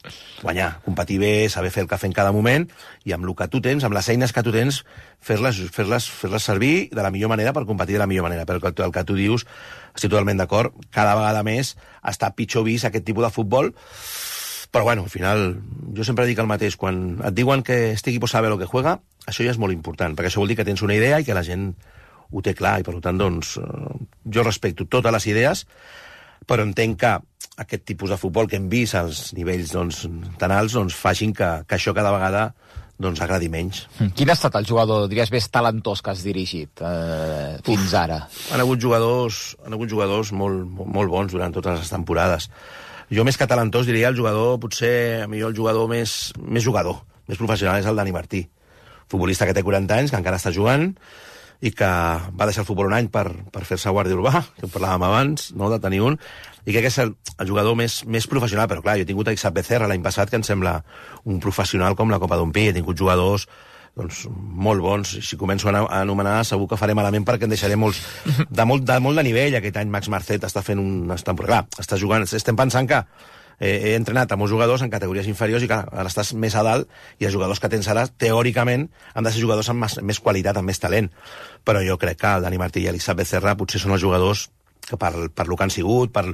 Guanyar, competir bé, saber fer el que fer en cada moment, i amb el que tu tens, amb les eines que tu tens, fer-les fer-les fer-les servir de la millor manera per competir de la millor manera. Però el que, el que tu dius, estic totalment d'acord, cada vegada més està pitjor vist aquest tipus de futbol, però bueno, al final, jo sempre dic el mateix, quan et diuen que este equipo sabe lo que juega, això ja és molt important, perquè això vol dir que tens una idea i que la gent ho té clar, i per tant, doncs, jo respecto totes les idees, però entenc que aquest tipus de futbol que hem vist als nivells doncs, tan alts doncs, facin que, que això cada vegada doncs, agradi menys. Quin ha estat el jugador, diries, més talentós que has dirigit eh, fins ara? Han hagut jugadors, han hagut jugadors molt, molt bons durant totes les temporades. jo més que talentós diria el jugador, potser a mi el jugador més, més jugador, més professional és el Dani Martí, futbolista que té quaranta anys, que encara està jugant i que va deixar el futbol un any per, per fer-se guàrdia urbà, que en parlàvem abans, no, de tenir un, i crec que és el, el jugador més, més professional, però clar, jo he tingut a Ixap Becerra l'any passat, que em sembla un professional com la Copa d'un Pi, he tingut jugadors doncs, molt bons. Si començo a anomenar, segur que faré malament perquè en deixaré molts de molt de, molt de nivell. Aquest any Max Marcet està fent un... Està, clar, està jugant... Estem pensant que eh, he entrenat a molts jugadors en categories inferiors i clar, ara estàs més a dalt i els jugadors que tens ara, teòricament, han de ser jugadors amb més, més qualitat, amb més talent. Però jo crec que el Dani Martí i l'Isaac Becerra potser són els jugadors que per, per lo que han sigut, per,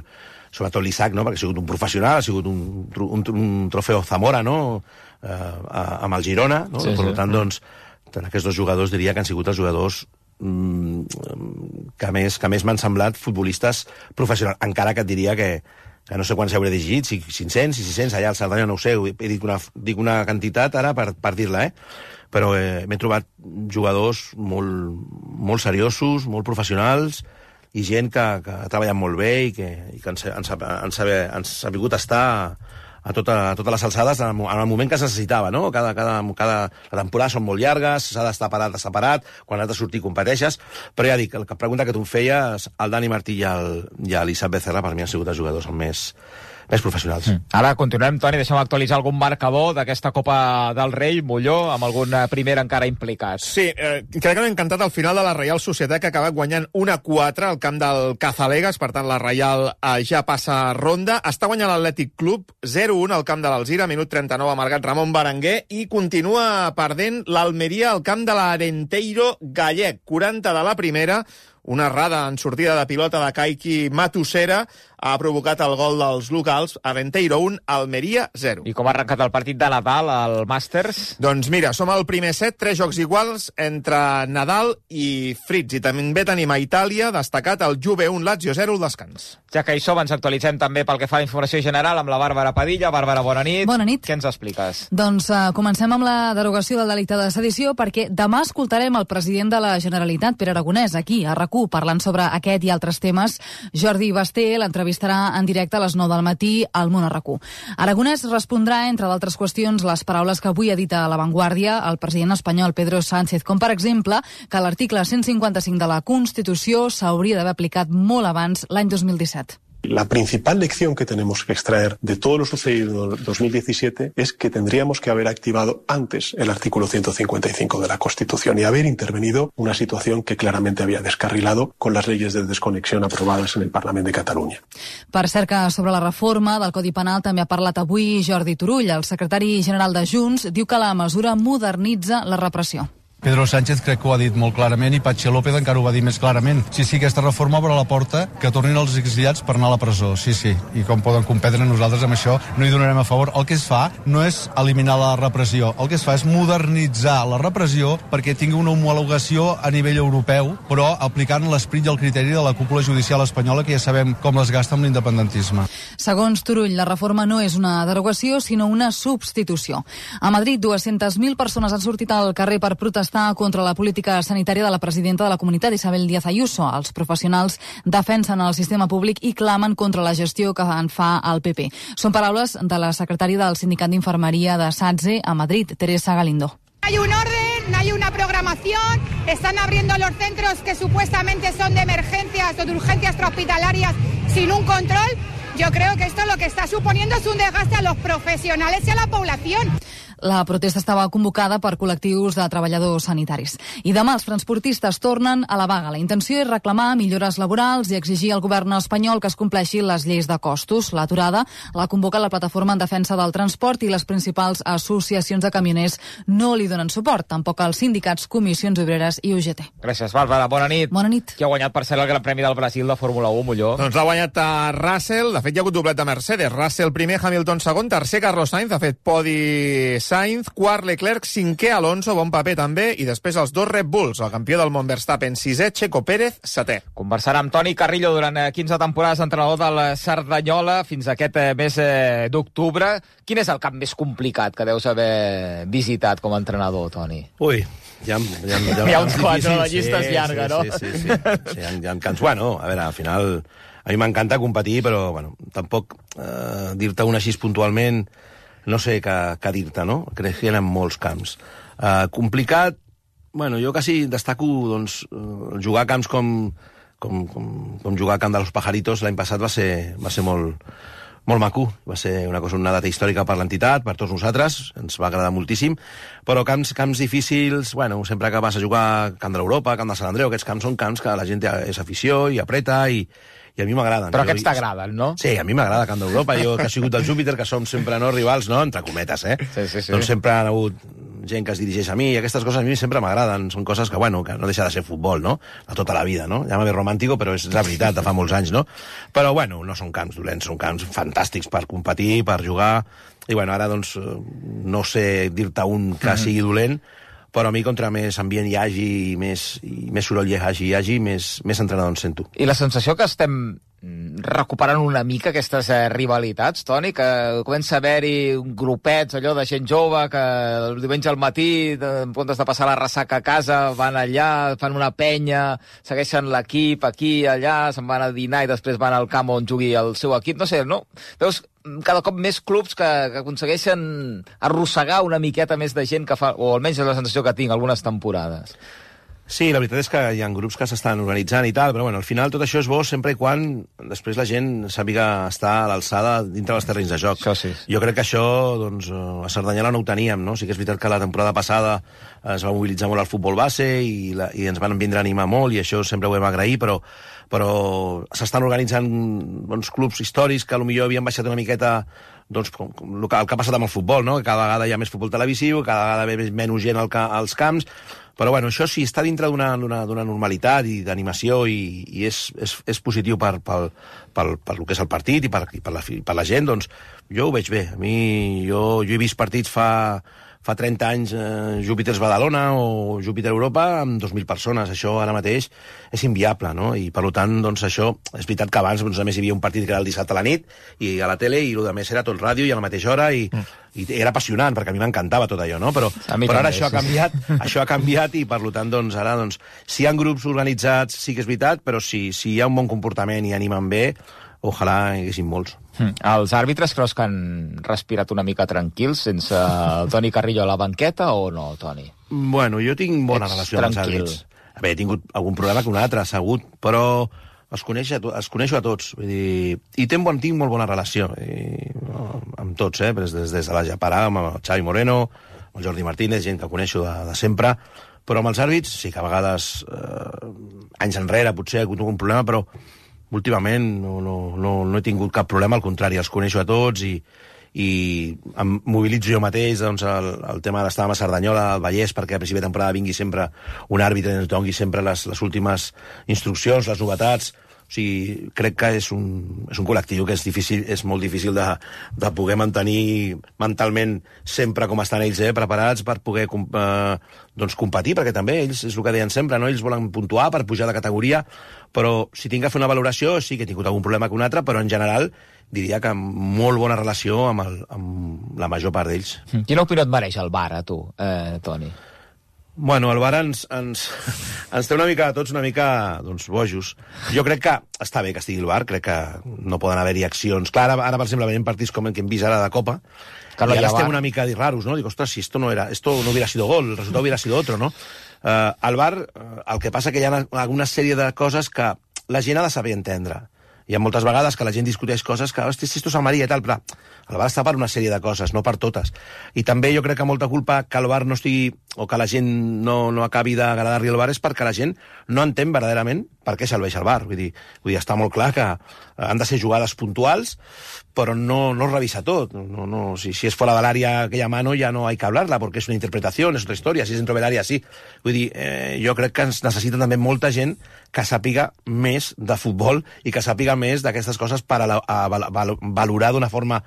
sobretot l'Isaac, no? Perquè ha sigut un professional, ha sigut un, un, un trofeu Zamora, no? Eh, amb el Girona, no? Sí, per sí. tant, doncs, aquests dos jugadors diria que han sigut els jugadors mm, que més, que més m'han semblat futbolistes professionals, encara que et diria que, que no sé quants hauré llegit, si cinc-cents, si sis-cents, allà al Cerdanya no ho sé, he dit una, dic una quantitat ara per, per dir-la, eh? Però eh, m'he trobat jugadors molt, molt seriosos, molt professionals, i gent que, que ha treballat molt bé i que, i que ens, ens, ens, ens ha vingut a estar a, tota, a totes les alçades en el moment que es necessitava, no? Cada, cada, cada, la temporada són molt llargues, s'ha d'estar parat, separat, quan has de sortir competeixes, però ja dic, la pregunta que tu em feies, el Dani Martí i l'Isaac Becerra per mi han sigut els jugadors més, més professionals. Mm. Ara continuem, Toni, deixem actualitzar algun marcador d'aquesta Copa del Rei, Molló, amb algun primer encara implicat. Sí, eh, crec que m'ha encantat el final de la Reial Societat, que ha acabat guanyant un a quatre al camp del Cazalegas, per tant la Reial eh, ja passa ronda. Està guanyant l'Atlètic Club zero un al camp de l'Alzira, minut trenta-nou, ha marcat Ramon Berenguer, i continua perdent l'Almeria al camp de l'Arenteiro gallec, quaranta de la primera. Una errada en sortida de pilota de Kaiki Matusera ha provocat el gol dels locals. Arenteiro un, Almeria zero. I com ha arrencat el partit de Nadal al Masters? Doncs mira, som al primer set, tres jocs iguals entre Nadal i Fritz. I també tenim a Itàlia destacat el Juve un, Lazio zero, el descans. Ja que hi som, ens actualitzem també pel que fa a la informació general amb la Bàrbara Padilla. Bàrbara, bona nit. Bona nit. Què ens expliques? Doncs uh, comencem amb la derogació del delicte de sedició, perquè demà escoltarem el president de la Generalitat, Pere Aragonès, aquí, a RAC u, parlant sobre aquest i altres temes. Jordi Basté l'entrevistarà en directe a les nou del matí al Món a RAC u. Aragonès respondrà, entre d'altres qüestions, les paraules que avui ha dit a La Vanguardia el president espanyol Pedro Sánchez, com per exemple que l'article cent cinquanta-cinc de la Constitució s'hauria d'haver aplicat molt abans, l'any dos mil disset. La principal lección que tenemos que extraer de todo lo sucedido en dos mil diecisiete es que tendríamos que haber activado antes el artículo ciento cincuenta y cinco de la Constitución y haber intervenido una situación que claramente había descarrilado con las leyes de desconexión aprobadas en el Parlament de Catalunya. Per cert que sobre la reforma del Codi Penal també ha parlat avui Jordi Turull. El secretari general de Junts diu que la mesura modernitza la repressió. Pedro Sánchez crec que ho ha dit molt clarament i Patxi López encara ho va dir més clarament. Sí, sí, aquesta reforma obre la porta que tornin els exiliats per anar a la presó. Sí, sí, i com poden competre nosaltres amb això no hi donarem a favor. El que es fa no és eliminar la repressió, el que es fa és modernitzar la repressió perquè tingui una homologació a nivell europeu, però aplicant l'esperit i el criteri de la cúpula judicial espanyola, que ja sabem com les gasta amb l'independentisme. Segons Turull, la reforma no és una derogació, sinó una substitució. A Madrid, dues-centes mil persones han sortit al carrer per protestar contra la política sanitària de la presidenta de la comunitat, Isabel Díaz Ayuso. Els professionals defensen el sistema públic i clamen contra la gestió que en fa el P P. Són paraules de la secretària del Sindicat d'Infermeria de SATSE a Madrid, Teresa Galindo. Hay un orden, no hay una programación, están abriendo los centros que supuestamente son de emergencias o de urgencias extrahospitalarias sin un control. Yo creo que esto lo que está suponiendo es un desgaste a los profesionales y a la población. La protesta estava convocada per col·lectius de treballadors sanitaris. I demà els transportistes tornen a la vaga. La intenció és reclamar millores laborals i exigir al govern espanyol que es compleixin les lleis de costos. L'aturada la convoca la plataforma en defensa del transport i les principals associacions de camioners no li donen suport, tampoc els sindicats, comissions obreres i U G T. Gràcies, Bàrbara. Bona nit. Bona nit. Qui ha guanyat, per cert, el Gran Premi del Brasil de Fórmula u, Molló? Doncs l'ha guanyat a Russell. De fet, hi ha hagut doblet de Mercedes. Russell primer, Hamilton segon, tercer Carlos Sainz. Ha fet podi Sainz, quart Leclerc, cinquè Alonso, bon paper també, i després els dos Red Bulls, el campió del món Verstappen, sisè, Checo Pérez, setè. Conversarà amb Toni Carrillo durant quinze temporades entrenador del Cerdanyola fins a aquest mes d'octubre. Quin és el camp més complicat que deus haver visitat com a entrenador, Toni? Ui, hi ha, hi ha, hi ha, hi ha uns quants, la llista és llarga, sí, no? Sí, sí, sí. sí hi, ha, hi ha camps, bueno, a veure, al final a mi m'encanta competir, però bueno, tampoc eh, dir-te un així puntualment no sé què, què dir-te, no? Crec que hi ha molts camps. Eh, complicat, bueno, jo quasi destaco doncs, jugar a camps com, com, com, com jugar a Camp de los Pajaritos l'any passat va ser, va ser molt, molt maco. Va ser una cosa, una data històrica per l'entitat, per tots nosaltres, ens va agradar moltíssim, però camps, camps difícils, bueno, sempre que vas a jugar a Camp de l'Europa, Camp de Sant Andreu, aquests camps són camps que la gent és afició i apreta i, i a mi m'agraden. Però aquests t'agraden, no? Sí, a mi m'agrada Camp d'Europa. Jo, que he sigut del Júpiter, que som sempre no rivals, no? Entre cometes, eh? Sí, sí, sí. Doncs sempre han hagut gent que es dirigeix a mi, i aquestes coses a mi sempre m'agraden. Són coses que, bueno, que no deixa de ser futbol, no? De tota la vida, no? Llama-me romàntico, però és la veritat, de fa molts anys, no? Però, bueno, no són camps dolents, són camps fantàstics per competir, per jugar, i, bueno, ara, doncs, no sé dir-te un que Mhm. sigui dolent, però a mi, contra més ambient hi hagi, i més, i més soroll hi hagi, hi hagi més, més entrenador em sento. I la sensació que estem recuperant una mica aquestes eh, rivalitats, Toni, que comença a haver-hi grupets, allò de gent jove, que el diumenge al matí, de, en comptes de passar la ressaca a casa, van allà, fan una penya, segueixen l'equip aquí, allà, se'n van a dinar i després van al camp on jugui el seu equip. No sé, no? Veus cada cop més clubs que, que aconsegueixen arrossegar una miqueta més de gent que fa, o almenys és la sensació que tinc algunes temporades. Sí, la veritat és que hi ha grups que s'estan organitzant i tal, però bueno, al final tot això és bo sempre i quan després la gent sàpiga estar a l'alçada dintre dels terrenys de joc. Això sí. Jo crec que això, doncs, a Cerdanyola no ho teníem, no? Sí que és veritat que la temporada passada es va mobilitzar molt el futbol base i, la, i ens van vindre a animar molt i això sempre ho hem agrair, però, però s'estan organitzant doncs, clubs històrics que potser havien baixat una miqueta doncs, com, com el que ha passat amb el futbol, no? Que cada vegada hi ha més futbol televisiu, cada vegada ve menys gent al ca, als camps. Però bueno, això sí, està dintre d'una normalitat i d'animació i, i és, és, és positiu per, per, per, per el que és el partit i per, i per, la, per la gent, doncs jo ho veig bé. A mi, jo, jo he vist partits fa, fa trenta anys, eh, Júpiters Badalona o Júpiter Europa amb dos mil persones. Això ara mateix és inviable, no? I per tant, doncs això, és veritat que abans doncs, a més hi havia un partit que era el dissabte a la nit i a la tele i el de més era tot ràdio i a la mateixa hora i, mm. i era apassionant perquè a mi m'encantava tot allò, no? Però, però ara això ha canviat, això ha canviat i per tant, doncs, ara, doncs, si hi ha grups organitzats sí que és veritat, però si, si hi ha un bon comportament i animen bé, ojalà hi haguessin molts. Mm. Els àrbitres creus que han respirat una mica tranquils sense el Toni Carrillo a la banqueta o no, Toni? Bueno, jo tinc bona Ets relació amb els tranquil. àrbitres. A veure, he tingut algun problema que un altre, segut, però els coneixo a, to els coneixo a tots. Vull dir, i tinc, bon, tinc molt bona relació i, no, amb tots, eh? Des, des, des de la Japarà, amb el Xavi Moreno, amb el Jordi Martínez, gent que coneixo de, de sempre, però amb els àrbits sí que a vegades, eh, anys enrere, potser he hagut algun problema, però últimament no, no, no, no he tingut cap problema, al contrari, els coneixo a tots i, i em mobilitzo jo mateix doncs, el, el tema d'estar a Cerdanyola, al Vallès, perquè a principi de temporada vingui sempre un àrbitre i ens doni sempre les, les últimes instruccions, les novetats. O sigui, crec que és un, és un col·lectiu que és, difícil, és molt difícil de, de poder mantenir mentalment sempre com estan ells, eh, preparats per poder eh, doncs, competir, perquè també ells, és el que deien sempre, no? Ells volen puntuar per pujar de categoria, però si tinc que fer una valoració, sí que he tingut algun problema que un altre, però en general diria que amb molt bona relació amb, el, amb la major part d'ells. Quina opinió et mereix el V A R, a tu, eh, Toni? Bueno, el V A R ens, ens, ens té una mica, tots una mica, doncs, bojos. Jo crec que està bé que estigui el V A R, crec que no poden haver-hi accions. Clar, ara, ara, per exemple, veiem partits com el que hem vist ara de Copa, Carlo, y ahora ya estem va. una mica raros, ¿no? Digo, ostras, si esto no era, esto no hubiera sido gol, el resultado hubiera sido otro, ¿no? Uh, al V A R, uh, el que passa que hi ha alguna sèrie de coses que la gent ha de saber entendre. Hi ha moltes vegades que la gent discuteix coses que, hosti, si esto és el Maria i tal, però el V A R està per una sèrie de coses, no per totes. I també jo crec que molta culpa que el V A R no estigui, o que la gent no, no acabi d'agradar-li el V A R és perquè la gent no entén verdaderament per què serveix el V A R? Vull dir, vull dir, està molt clar que han de ser jugades puntuals, però no, no es revisa tot. No, no, si, si es fora de l'àrea aquella mano ja no hay que hablarla, porque es una interpretación, es otra historia. Si es dentro de l'àrea, sí. Vull dir, eh, jo crec que ens necessita també molta gent que sàpiga més de futbol i que sàpiga més d'aquestes coses per a, la, a, a valorar d'una forma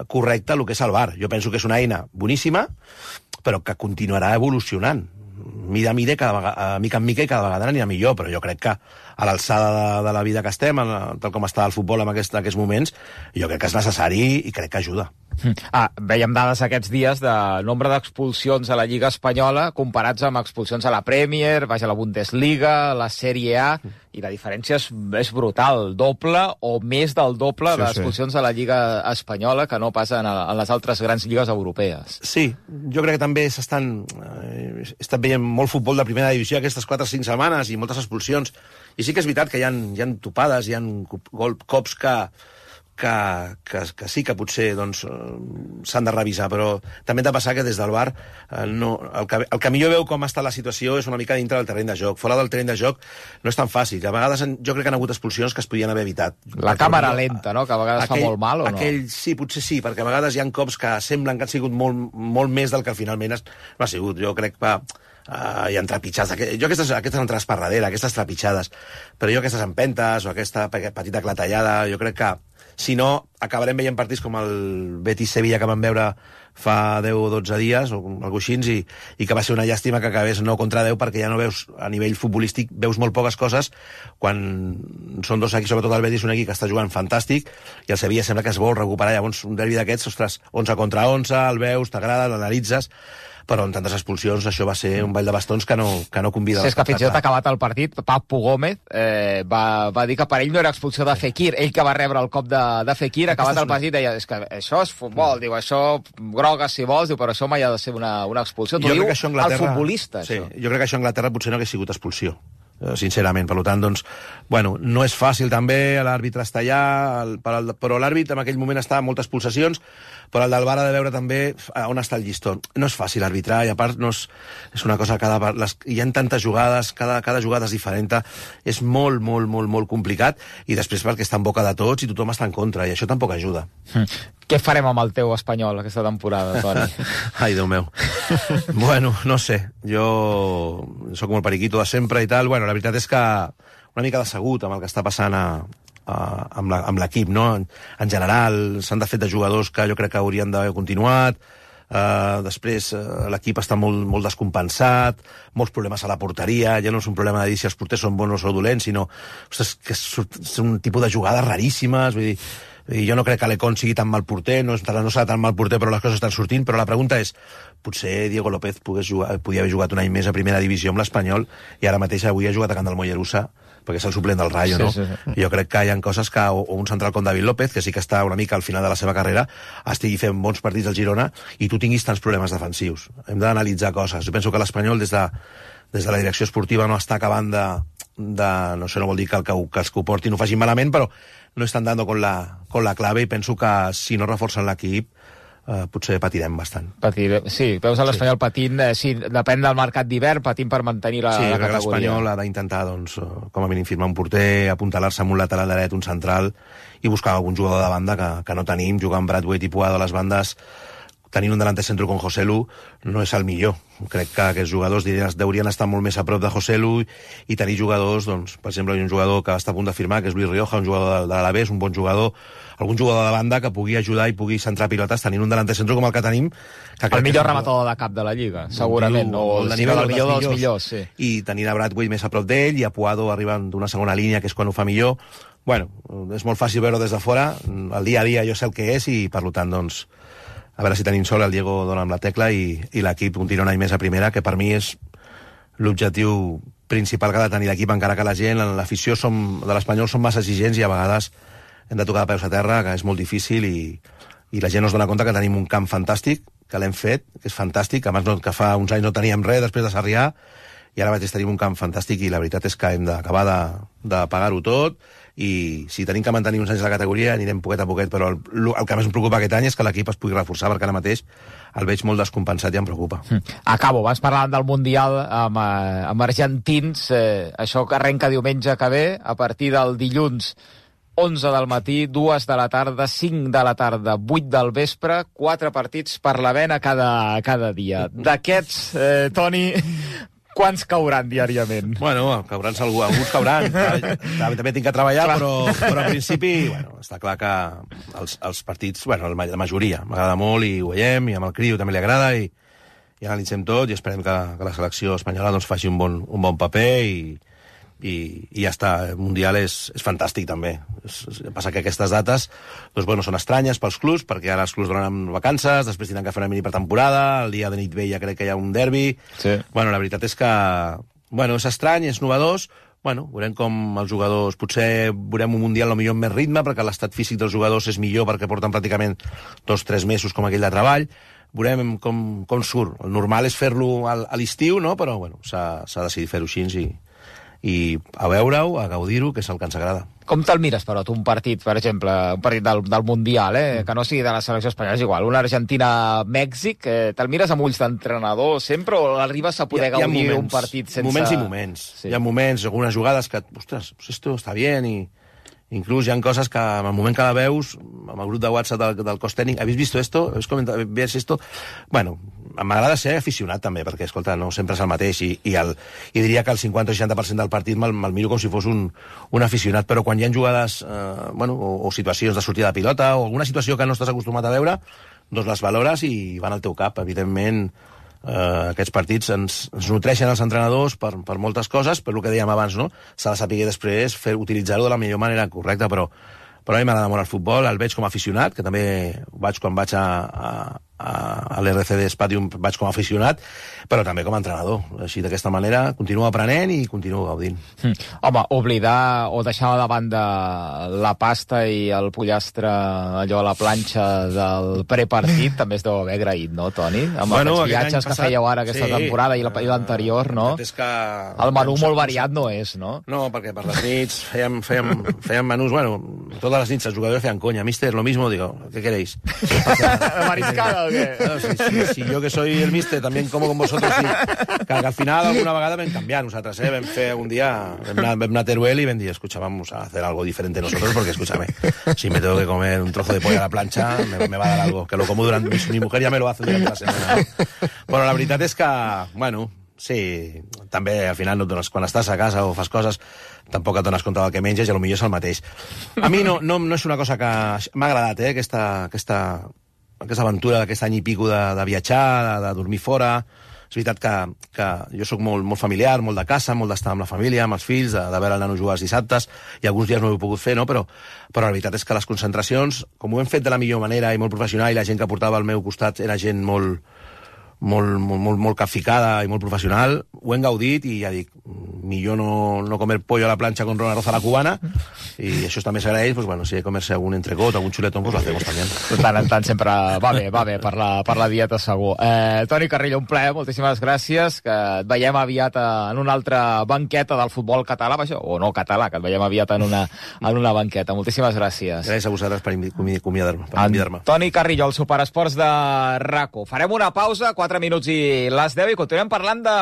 correcta el que és el V A R. Jo penso que és una eina boníssima, però que continuarà evolucionant. Mida a mida, cada vegada, mica en mica i cada vegada anirà millor, però jo crec que a l'alçada de, de la vida que estem, tal com està el futbol en aquest, aquests moments, jo crec que és necessari i crec que ajuda. Ah, veiem dades aquests dies de nombre d'expulsions a la Lliga Espanyola comparats amb expulsions a la Premier, vaja, a la Bundesliga, la Sèrie A, i la diferència és, és brutal, doble o més del doble sí, d'expulsions sí. a la Lliga Espanyola que no passen a, a les altres grans lligues europees. Sí, jo crec que també s'estan eh, estan veient molt futbol de primera divisió aquestes quatre o cinc setmanes i moltes expulsions, i sí que és veritat que hi ha, hi ha topades, hi ha cops que Que, que, que sí que potser doncs, s'han de revisar, però també hem de passar que des del V A R eh, no, el, que, el que millor veu com està la situació és una mica dintre del terreny de joc. Fora del terreny de joc no és tan fàcil. A vegades jo crec que han hagut expulsions que es podien haver evitat. La càmera lenta, no?, que a vegades aquell, fa molt mal, o no? Aquell, sí, potser sí, perquè a vegades hi ha cops que semblen que han sigut molt, molt més del que finalment no ha sigut. Jo crec que Uh, hi ha trepitjades, jo aquestes, aquestes entrades per darrere, aquestes trepitjades, però jo aquestes empentes o aquesta petita clatellada, jo crec que si no, acabarem veient partits com el Betis-Sevilla que vam veure fa deu o dotze dies, o alguna cosa així, i, i que va ser una llàstima que acabés no contra deu, perquè ja no veus, a nivell futbolístic, veus molt poques coses, quan són dos equips, sobretot el Betis, un equip que està jugant fantàstic, i el Sevilla sembla que es vol recuperar. Llavors, un derbi d'aquests, ostres, onze contra onze, el veus, t'agrada, l'analitzes, però en tantes expulsions això va ser un ball de bastons que no, que no convida. Sí, és que fins i tot acabat el partit, Papu Gómez eh, va, va dir que per ell no era expulsió de Fekir, ell que va rebre el cop de, de Fekir, acabat el partit deia, és que això és futbol, diu, això groga si vols, diu, però això mai ha de ser una, una expulsió. T'ho diu el futbolista, sí, això. Jo crec que això a Anglaterra potser no hagués sigut expulsió, sincerament. Per tant, doncs, bueno, no és fàcil també, l'àrbitre està allà, però l'àrbitre en aquell moment està amb moltes pulsacions, però el del V A R ha de veure també on està el llistó. No és fàcil arbitrar, i a part no és, és una cosa, cada, les, hi ha tantes jugades, cada, cada jugada és diferent, és molt, molt, molt, molt complicat, i després perquè està en boca de tots i tothom està en contra, i això tampoc ajuda. Mm. Què farem amb el teu Espanyol aquesta temporada, Toni? Ai, Déu meu. Bueno, no sé, jo sóc molt periquito de sempre i tal. Bueno, la veritat és que una mica decebut amb el que està passant a, a, amb l'equip, no? En, en general, s'han de fet de jugadors que jo crec que haurien d'haver continuat. Uh, després uh, l'equip està molt, molt descompensat, molts problemes a la porteria, ja no és un problema de dir si els porters són bons o dolents, sinó ostres, que és, és un tipus de jugades raríssimes, vull dir, i jo no crec que l'Econ sigui tan mal porter, no, no serà tan mal porter, però les coses estan sortint. Però la pregunta és, potser Diego López pogués jugar, podia haver jugat un any més a primera divisió amb l'Espanyol, i ara mateix avui ha jugat a Can del Mollerussa, perquè és el suplent del Rayo, sí, no? Sí, sí. Jo crec que hi ha coses que, o, o un central com David López, que sí que està una mica al final de la seva carrera, estigui fent bons partits al Girona i tu tinguis tants problemes defensius. Hem d'analitzar coses. Jo penso que l'Espanyol, des de, des de la direcció esportiva, no està acabant de... de no sé, no vol dir que, el, que, que els que ho portin ho facin malament, però no estan dando con la, con la clave, i penso que si no reforcen l'equip Uh, potser patirem bastant. Patir, sí, veus a l'Espanyol sí. patint, eh, sí, depèn del mercat d'hivern, patint per mantenir la, sí, la categoria. Sí, l'Espanyol ha d'intentar, doncs, com a mínim firmar un porter, apuntalar-se amb un lateral dret, un central, i buscar algun jugador de banda que, que no tenim. Jugar amb Brathwaite i Puado a les bandes, tenint un delanter centro com Joselu, no és el millor. Crec que aquests jugadors deurien estar molt més a prop de Joselu, i tenir jugadors, doncs, per exemple, hi ha un jugador que està a punt de firmar, que és Luis Rioja, un jugador de, de l'Alavés, un bon jugador, algun jugador de banda que pugui ajudar i pugui centrar pilotes, tenint un delanter centro com el que tenim. Que el millor rematador de cap de la Lliga, segurament, o el, el, nivell, el millor dels millors, sí. I tenint a Brathwaite més a prop d'ell, i a Puado arribant d'una segona línia, que és quan ho fa millor. Bueno, és molt fàcil veure des de fora, el dia a dia jo sé el que és, i per tant, doncs, a veure si tenim sol, el Diego dona amb la tecla i, i l'equip continua un any més a primera, que per mi és l'objectiu principal que ha de tenir l'equip, encara que la gent, l'afició som, de l'Espanyol són massa exigents, i a vegades hem de tocar de peus a terra, que és molt difícil, i, i la gent no es dona compte que tenim un camp fantàstic, que l'hem fet, que és fantàstic, abans no, que fa uns anys no teníem res després de Sarrià, i ara mateix tenim un camp fantàstic, i la veritat és que hem d'acabar de, de pagar-ho tot, i si tenim que mantenir uns anys a la categoria anirem poquet a poquet, però el, el que més em preocupa aquest any és que l'equip es pugui reforçar, perquè ara mateix el veig molt descompensat i em preocupa. Acabo, vas parlant del Mundial amb, eh, amb argentins, eh, això que arrenca diumenge que ve, a partir del dilluns onze del matí, dues de la tarda, cinc de la tarda, vuit del vespre, quatre partits per la vena cada, cada dia. D'aquests, eh, Toni, quants cauran diàriament? Bueno, cauran algú, alguns cauran. També, també tinc que treballar, però, però en principi, bueno, està clar que els, els partits, bueno, la majoria, m'agrada molt i ho veiem, i amb el Criu també li agrada, i, i analitzem tot, i esperem que, que la selecció espanyola doncs, faci un bon, un bon paper, i, i, i ja està. El Mundial és, és fantàstic, també. És, és, passa que aquestes dates doncs, bueno, són estranyes pels clubs, perquè ara els clubs donen vacances, després tindran que fer una mini pretemporada, el dia de nit vella crec que hi ha un derbi. Sí. Bueno, la veritat és que bueno, és estrany, és novedós. Bueno, veurem com els jugadors... Potser veurem un Mundial potser amb més ritme, perquè l'estat físic dels jugadors és millor, perquè porten pràcticament dos o tres mesos com aquell de treball. Veurem com, com surt. El normal és fer-lo a l'estiu, no? Però bueno, s'ha decidit fer-ho així i, i a veure-ho, a gaudir-ho, que és el que ens agrada. Com te'l mires, però, tu, un partit, per exemple, un partit del, del Mundial, eh? Que no sigui de la selecció espanyola, és igual, una Argentina-Mèxic, eh, te'l mires amb ulls d'entrenador sempre o arribes a poder gaudir un partit sense... Moments i moments. Sí. Hi ha moments, algunes jugades que, ostres, esto està bien, i inclús hi ha coses que, en el moment que la veus, amb el grup de WhatsApp del, del cos tècnic, ¿habéis visto esto? ¿Habéis comentado? ¿Ves esto? Bueno, m'agrada ser aficionat també, perquè, escolta, no sempre és el mateix, i, i, el, i diria que el cinquanta o seixanta per cent del partit me'l me miro com si fos un, un aficionat, però quan hi ha jugades eh, bueno, o, o situacions de sortida de pilota o alguna situació que no estàs acostumat a veure, doncs les valores i van al teu cap. Evidentment, eh, aquests partits ens, ens nutreixen els entrenadors per, per moltes coses, per el que dèiem abans, no? S'ha de saber després fer utilitzar-ho de la millor manera correcta, però, però a mi m'agrada molt el futbol, el veig com a aficionat, que també vaig quan vaig a, a, a l'R C D Spadium, vaig com a aficionat, però també com a entrenador. Així, d'aquesta manera, continuo aprenent i continuo gaudint. Hm. Home, oblidar o deixar de banda la pasta i el pollastre, allò a la planxa del prepartit, també es deu haver agraït, no, Toni? Amb bueno, aquests viatges que fèieu ara aquesta sí, temporada i l'anterior, no? És que el menú molt variat no és, no? No, perquè per les nits fèiem, fèiem, fèiem menús, bueno, totes les nits els jugadors feien conya. Mister, lo mismo, digo, ¿qué queréis? Mariscada o qué? No, si, si, si yo que soy el mister también como con vosotros, sí. que, que al final alguna vegada vam canviar nosaltres, eh? Vam fer un dia, vam anar, vam anar a Teruel y vam dir, escucha, vamos a hacer algo diferente nosotros, porque escúchame, si me tengo que comer un trozo de pollo a la plancha, me, me va a dar algo, que lo como durante, mi, mi mujer ya me lo hace durante la semana. Però la veritat és que, bueno, sí, també al final no dones, quan estàs a casa o fas coses, tampoc et dones compte del que menges i potser és el mateix. A mi no, no, no és una cosa que m'ha agradat, eh, aquesta, aquesta, aquesta aventura d'aquest any i pico de, de viatjar, de, de dormir fora. És veritat que, que jo sóc molt, molt familiar, molt de casa, molt d'estar amb la família, amb els fills, de, de veure el nano jugar els dissabtes, i alguns dies no ho he pogut fer, no? però, però la veritat és que les concentracions, com ho hem fet de la millor manera i molt professional, i la gent que portava al meu costat era gent molt, molt, molt, molt, molt capficada i molt professional, ho hem gaudit i ja dic, millor no, no comer pollo a la plancha con una roza a la cubana, i això també s'agraeix, pues bueno, si hay que comerse algun entrecot, algun xuletón, pues lo hacemos también. De tant en tant sempre va bé, va bé per la, per la dieta segur. Eh, Toni Carrillo, un plaer, moltíssimes gràcies, que et veiem aviat en una altra banqueta del futbol català, o no català, que et veiem aviat en una, en una banqueta. Moltíssimes gràcies. Gràcies a vosaltres per convidar-me. Toni Carrillo, el Superesports de RACO. Farem una pausa, quatre minuts i les deu, i continuem parlant de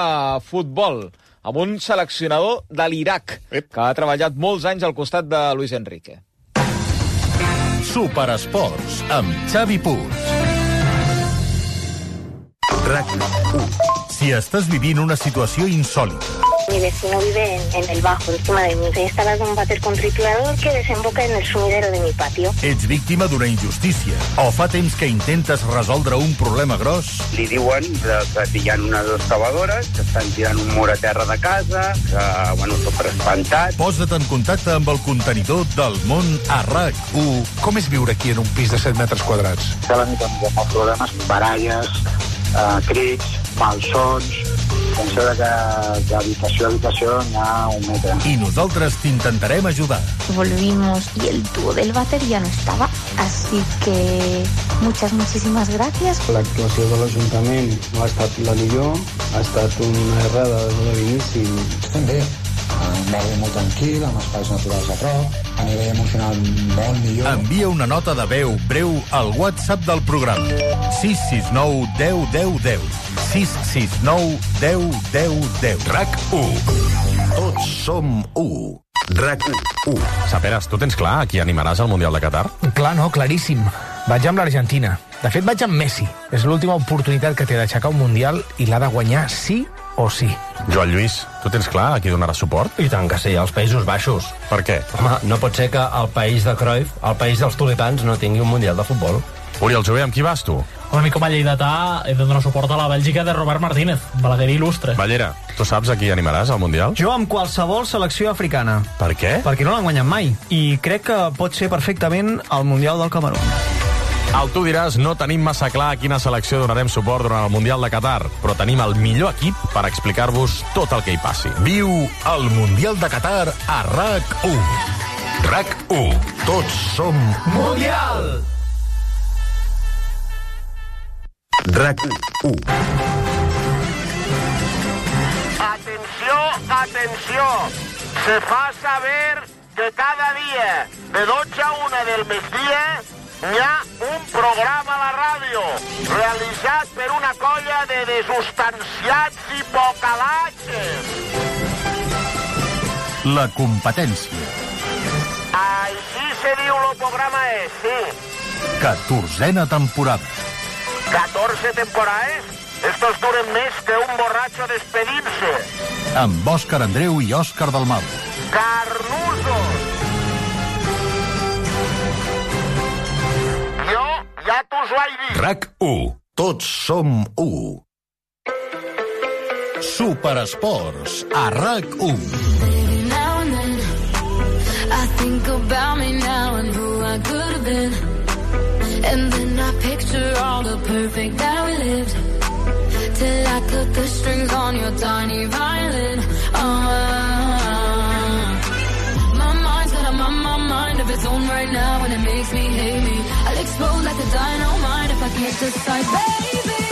futbol amb un seleccionador de l'Iraq que ha treballat molts anys al costat de Luis Enrique. Superesports amb Xavi Puig. RAC u. Si estàs vivint una situació insòlita, mi vecino vive en, en el bajo, encima de mí. He instalado un váter con triturador que desemboca en el sumidero de mi patio. Ets víctima d'una injustícia o fa temps que intentes resoldre un problema gros? Li diuen que, que hi ha unes excavadores que estan tirant un mur a terra de casa, que, bueno, tot espantat. Posa't en contacte amb el contenidor del món a RAC u. Com és viure aquí en un pis de set metres quadrats? Cada nit amb molts problemes, baralles, eh, crits, malsons. Penso que d'habitació a habitació n'hi ha un metre. I nosaltres t'intentarem ajudar. Volvimos y el tubo del váter ya no estaba, así que muchas, muchísimas gracias. L'actuació de l'Ajuntament no ha estat la millor, ha estat una errada de l'inici. Estem bé. un barri molt tranquil, amb espais naturals a prop, a nivell emocional molt millor. Envia una nota de veu breu al WhatsApp del programa. sis sis nou deu deu deu. sis sis nou deu deu deu. RAC u. Tots som u. RAC u. Saperes, tu tens clar a qui animaràs al Mundial de Qatar? Clar, no, claríssim. Vaig amb l'Argentina. De fet, vaig amb Messi. És l'última oportunitat que té d'aixecar un Mundial i l'ha de guanyar sí o sí. Joan Lluís, tu tens clar a qui donaràs suport? I tant que sí, als Països Baixos. Per què? Home, no pot ser que el país de Cruyff, el país dels tulipans, no tingui un Mundial de futbol. Oriol Jové, amb qui vas tu? Home, a mi com a lleidatà he de donar suport a la Bèlgica de Robert Martínez, balaguer il·lustre. Ballera, tu saps a qui animaràs al Mundial? Jo amb qualsevol selecció africana. Per què? Perquè no l'han guanyat mai. I crec que pot ser perfectament el Mundial del Camerun. Al Tu diràs, no tenim massa clar a quina selecció donarem suport durant el Mundial de Qatar, però tenim el millor equip per explicar-vos tot el que hi passi. Viu el Mundial de Qatar a RAC u. RAC u. Tots som Mundial! RAC u. Atenció, atenció. Se fa saber que cada dia de dotze a una del migdia hi ha un programa a la ràdio realitzat per una colla de desustanciats i pocalatges. La competència. Així se diu el programa és, sí. Catorzena temporada. catorze temporades? Estos duren més que un borratxo despedint-se. Amb Òscar Andreu i Òscar Dalmau. Carnusos! Jo ja t'us ho he dit. RAC u. Tots som u. Superesports a RAC u. I think about me now and who I could have been. And then I picture all the perfect that we lived. Till I cut the strings on your tiny violin. Uh, my mind's got a my, my mind of its own right now, and it makes me hate me. I'll explode like a dynamite if I can't decide, baby.